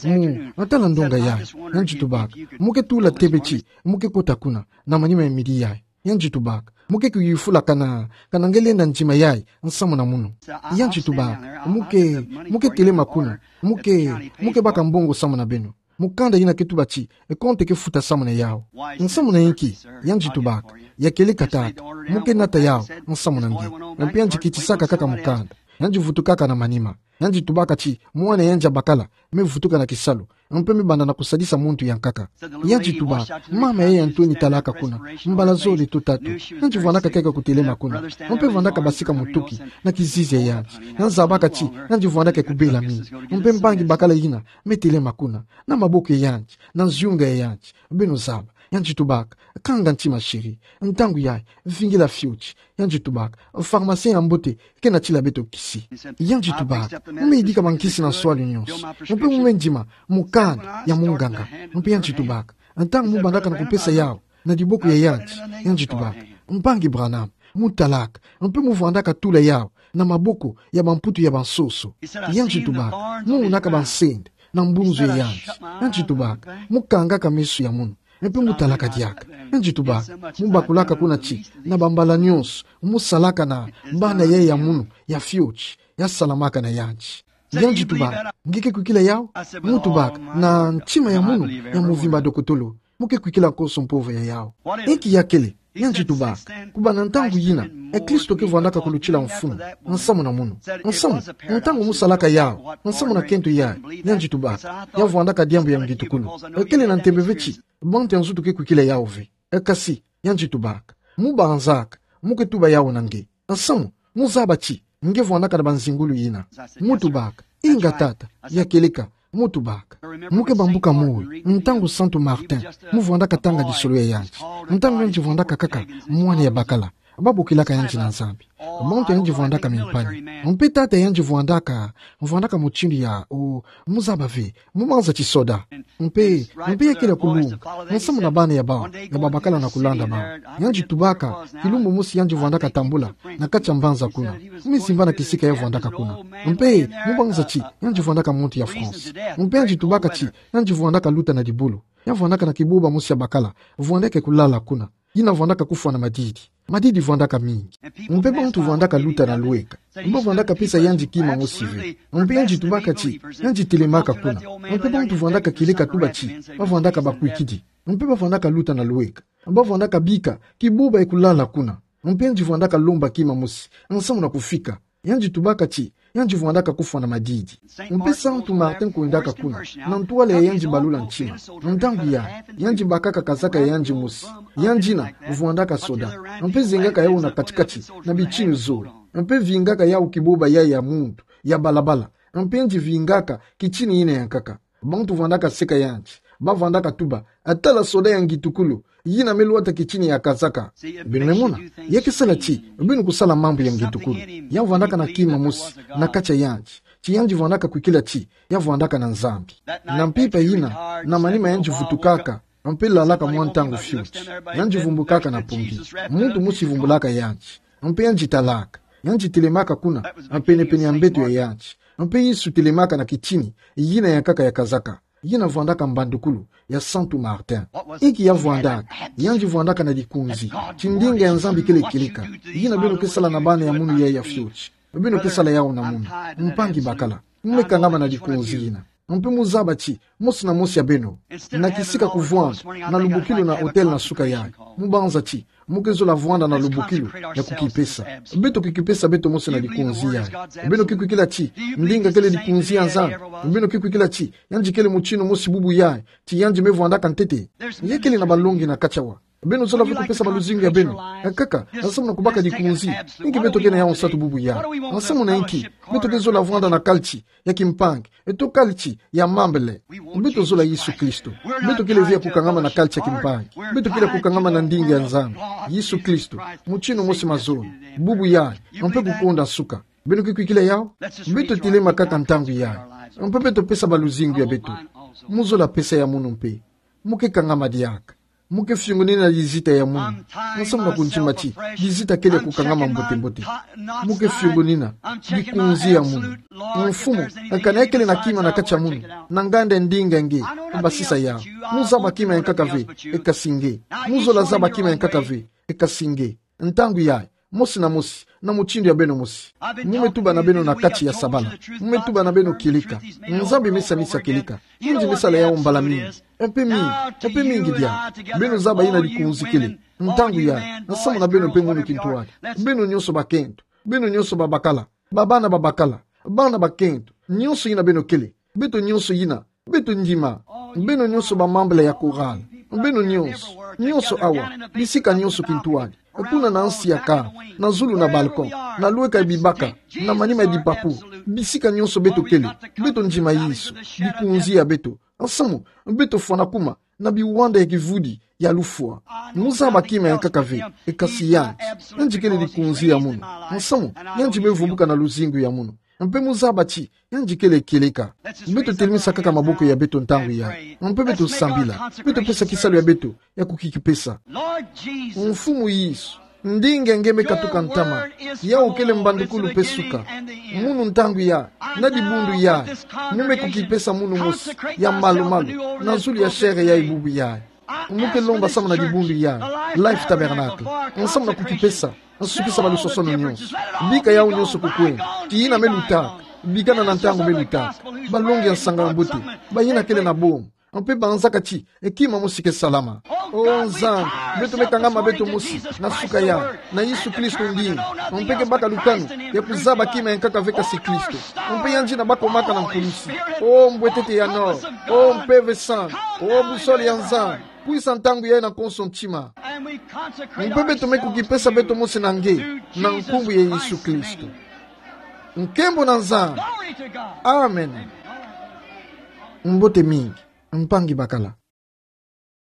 mu, na tala ndonga yayi. Yandi tubaka: Mu ke tula tebe ti mu ke kota kuna na manima ya midi yayi. Yandi tubaka: Mu ke kuyufula kana, kana nge lenda ndima yayi nsamu na munu? Yandi tubaka: Mu ke, mu ke telema kuna. Mu ke, mu ke baka mbongo samu na beno. Mukanda yina ke tuba ti e konte ke futa samu na yawu. Nsamu na inki? Yandi tubaka: Ya kieleka tata, mu ke nata yawu nsamu na nge. Mpe yandi kitisaka kaka mukanda. Yandi vutukaka na manima. Yandi tubaka ti mwana ya yandi ya bakala me vutuka na kisalu, mpe me banda na kusadisa muntu ya nkaka. Yandi tubaka: Mama yayi ya ntweni talaka kuna mbala zole to tatu. Yandi vwandaka kaka kutelema kuna, mpe vwandaka basika mutuki na kizizi ya yandi. Yandi zabaka ti yandi vwandaka kubela mingi. Mpe mpangi bakala yina me telema kuna na maboko ya yandi, na nziunga ya yandi. Beno zaba. Yandi tubaka: Kanga ntima, chéri. Ntangu yayi, vingila fioti. Yandi tubaka: Pharmacien ya mbote ke natila beto kisi. Yandi tubaka: Mu me yidika bankisi na nswalu nyonso. Mpe mu me ndima mukanda ya munganga. Mpe yandi tubaka: Ntangu mu bandaka na kupesa yawu na diboko ya yandi, yandi tubaka: Mpangi Branham, mu talaka, mpe mu vwandaka tula yawu na maboko ya bamputu ya bansoso. Yandi tubaka: Mu monaka bansende na mbunzu ya yandi. Yandi tubaka: Mu kangaka meso ya munu, mpe mu talaka diaka. Yandi tubaka: Mu bakulaka kuna ti na bambala nyonso mu salaka na bana yayi ya munu ya fioti, ya salamaka na yandi. Yandi tubaka: Nge ke kwikila yawu? Mu tubaka: Na ntima ya munu ya muvimba, dokotolo. Mu ke kwikila nkoso mpova ya yawu. Inki ya kele? Yandi tubaka: Kubanda ntangu yina, e Kristo ke vwandaka kulutila mfunu nsamu na munu. Nsamu, ntangu mu salaka yawu nsamu na kento yayi, yandi tubaka, ya vwandaka diambu ya ngitukulu. E kele na ntembe ve ti bantu ya nzutu ke kwikila yawu ve. E kasi, yandi tubaka: Mu banzaka, mu ke tuba yawu na nge. Nsamu, mu zaba ti nge vwandaka na banzingulu yina. Mu tubaka: Inga tata, ya kieleka. Mu tubaka: Mu ke bambuka moyo ntangu Santu Martin mu vwandaka tanga lisolo ya yandi, ntangu yandi vwandaka kaka mwana ya bakala, babokilaka yandi na Nzambi. Bantu yandi vwandaka mimpani. Mpe tata yandi vwandaka, vwandaka mutindu ya, o, mu zaba ve, mubanza ti soda. Mpe, mpe ya kele kulunga nsamu na bana ya bawu, ya babakala na kulanda bawu. Yandi tubaka: Kilumbu mosi yandi vwandaka tambula na kati ya mbanza kuna, mu me zimba na kisika ya vwandaka kuna. Mpe mubanza ti yandi vwandaka muntu ya France. Mpe yandi tubaka ti yandi vwandaka luta na dibulu. Ya vwandaka na kibuba mosi ya bakala, vwandaka kulala kuna. Yina vwandaka kufwa na madidi. Madidi vwandaka mingi. Mpe bantu vwandaka luta na lweka. Mpe vwandaka pesa yandi kima mosi ve. Mpe yandi tubaka ti yandi telemaka kuna. Mpe bantu vwandaka kieleka tuba ti bavwandaka bakwikidi. Mpe bavwandaka luta na lweka. Bavwandaka bika kibuba ya kulala kuna. Mpe yandi vwandaka lomba kima mosi, nsamu na kufika. Yandi tubaka ti, yandi vwandaka kufwa na madidi. Mpe Santu Martin kwendaka kuna, na ntwala ya yandi balula ntima. Ntangu yayi, yandi bakaka kazaka ya yandi mosi. Yandi yina, vwandaka soda. Mpe zengaka yawu na kati-kati, na bitinu zole. Mpe vingaka yawu kiboba yayi ya muntu, ya balabala. Mpe yandi vingaka, kitini yina ya nkaka. Bantu vwandaka seka yandi, ba vwandaka tuba: "Tala soda ya ngitukulu, yina me lwata kitini ya kazaka." Beno me mona, ya ke sala ti beno kusala mambu ya ngitukulu. Ya vwandaka na kima mosi na kati ya yandi, ti yandi vwandaka kwikila ti ya vwandaka na Nzambi. Na mpimpa yina, na manima yandi vutukaka, mpe lalaka mwa ntangu fioti, yandi vumbukaka na pongi. Muntu mosi vumbulaka yandi, mpe yandi talaka. Yandi telemaka kuna, pene-pene ya mbeto ya yandi. Mpe Yesu telemaka na kitini yina ya nkaka ya kazaka, yina vwandaka mbandukulu ya Santu Martin. Inki ya vwandaka? Yandi vwandaka na likonzi ti ndinga ya Nzambi kele kieleka. Yina beno ke sala na bana ya munu yayi ya fioti, beno ke sala yawu na munu. Mpangi bakala, mu me kangama na likonzi yina. Mpe mu zaba ti mosi na mosi ya beno, na kisika kuvwanda na lubukilu na hôtel na suka yayi, mu banza ti mu ke zola vwanda na lubukilu ya kukipesa. Beto ke kipesa beto mosi na likonzi yayi. Beno ke kwikila ti ndinga kele likonzi ya Nzambi? Beno ke kwikila ti yandi kele mutinu mosi bubu yayi, ti yandi me vwandaka ntete? Ya kele na balongi na kati awa. Beno zola ve kupesa baluzingu ya beno. Kaka, nsamu na kubaka likonzi. Inki beto ke na yawu nsatu bubu yayi? Nsamu na inki beto ke zola vwanda na kalti ya kimpangi, eto kalti ya mambele? Beto zola Yesu Kristo. Beto kele ve ya kukangama na kalti ya kimpangi. Beto kele ya kukangama na ndinga ya Nzambi, Yesu Kristo, mutinu mosi mazono, bubu yayi, mpe kukonda nsuka. Beno ke kwikila yawu? Beto telema kaka ntangu yayi, mpe beto pesa baluzingu ya beto. Mu zola pesa ya munu mpe. Mu ke kangama diaka. Mu ke fiongonina lizita ya munu. Nsamu na kundima ti lizita kele ya kukangama mbote-mbote. Mu ke fiongonina likonzi ya munu. Mfumu, kana ya kele na kima na kati ya munu, na nganda ya ndinga nge, basisa yawu. Mu zaba kima ya nkaka ve, e kasi nge. Mu zola zaba kima ya nkaka ve, e kasi nge. Ntangu yayi, mosi na mosi, na mutindu ya beno mosi. Mu me tuba na beno na kati ya sabala. Mu me tuba na beno kieleka. Nzambi me sanisa kieleka. Yandi me sala yawu mbala mingi. Mpe mingi, mpe mingi diaka. Beno zaba yina likonzi kele. Ntangu yayi, nsamu na beno mpe munu kintwadi. Beno nyonso bakento. Beno nyonso babakala. Babana babakala. Bana bakento. Nyonso yina beno kele. Beto nyonso yina. Beto ndima. Beno nyonso bamambele ya chorale. Beno nyonso. Nyonso awa. Bisika nyonso kintwadi. Kuna na nsi ya kala. Na zulu na balcon. Na lweka ya bibaka. Na manima ya dipapu. Bisika nyonso beto kele. Beto ndima Yesu. Likonzi ya beto. Nsamu, beto fwana kuma na biwanda ya kivudi ya lufwa. Mu zaba kima ya nkaka ve, e kasi yandi. Yandi kele likonzi ya munu. Nsamu, yandi me vumbuka na luzingu ya munu. Mpe mu zaba ti yandi kele kieleka. Beto telemisa kaka maboko ya beto ntangu yayi. Mpe beto sambila. Beto pesa kisalu ya beto ya kukikipesa. Mfumu Yesu, ndinga nge me katuka ntama. Yawu kele mbandukulu mpe suka. Munu ntangu yayi, na dibundu yayi, mu me kukipesa munu mosi ya malu-malu na zulu ya chair yayi bubu yayi. Mu ke lomba samu na dibundu yayi, Life Tabernacle. Nsamu na kukipesa, nsukisa balusosono nyonso. Bika yawu nyonso kukwenda. Ti yina me lutaka. Bikana na ntangu me lutaka. Balongi ya nsanga mbote. Bayina kele na bomo. Mpe banzaka ti, e kima mosi ke salama. O Nzambi, beto me kangama beto mosi na suka yayi, na Yesu Kristo ndinga. Mpe ke baka lukanu ya kuzaba kima ya nkaka ve kasi Kristo. Mpe yandi na bakomaka na nkulusi. O mbwetete ya nord, o Mpeve Santu, o boussole ya Nzambi, kwisa ntangu yayi na konso ntima. Mpe beto me kukipesa beto mosi na nge, na nkumbu ya Yesu Kristo. Nkembo na Nzambi. Amen. Mbote mingi, mpangi bakala.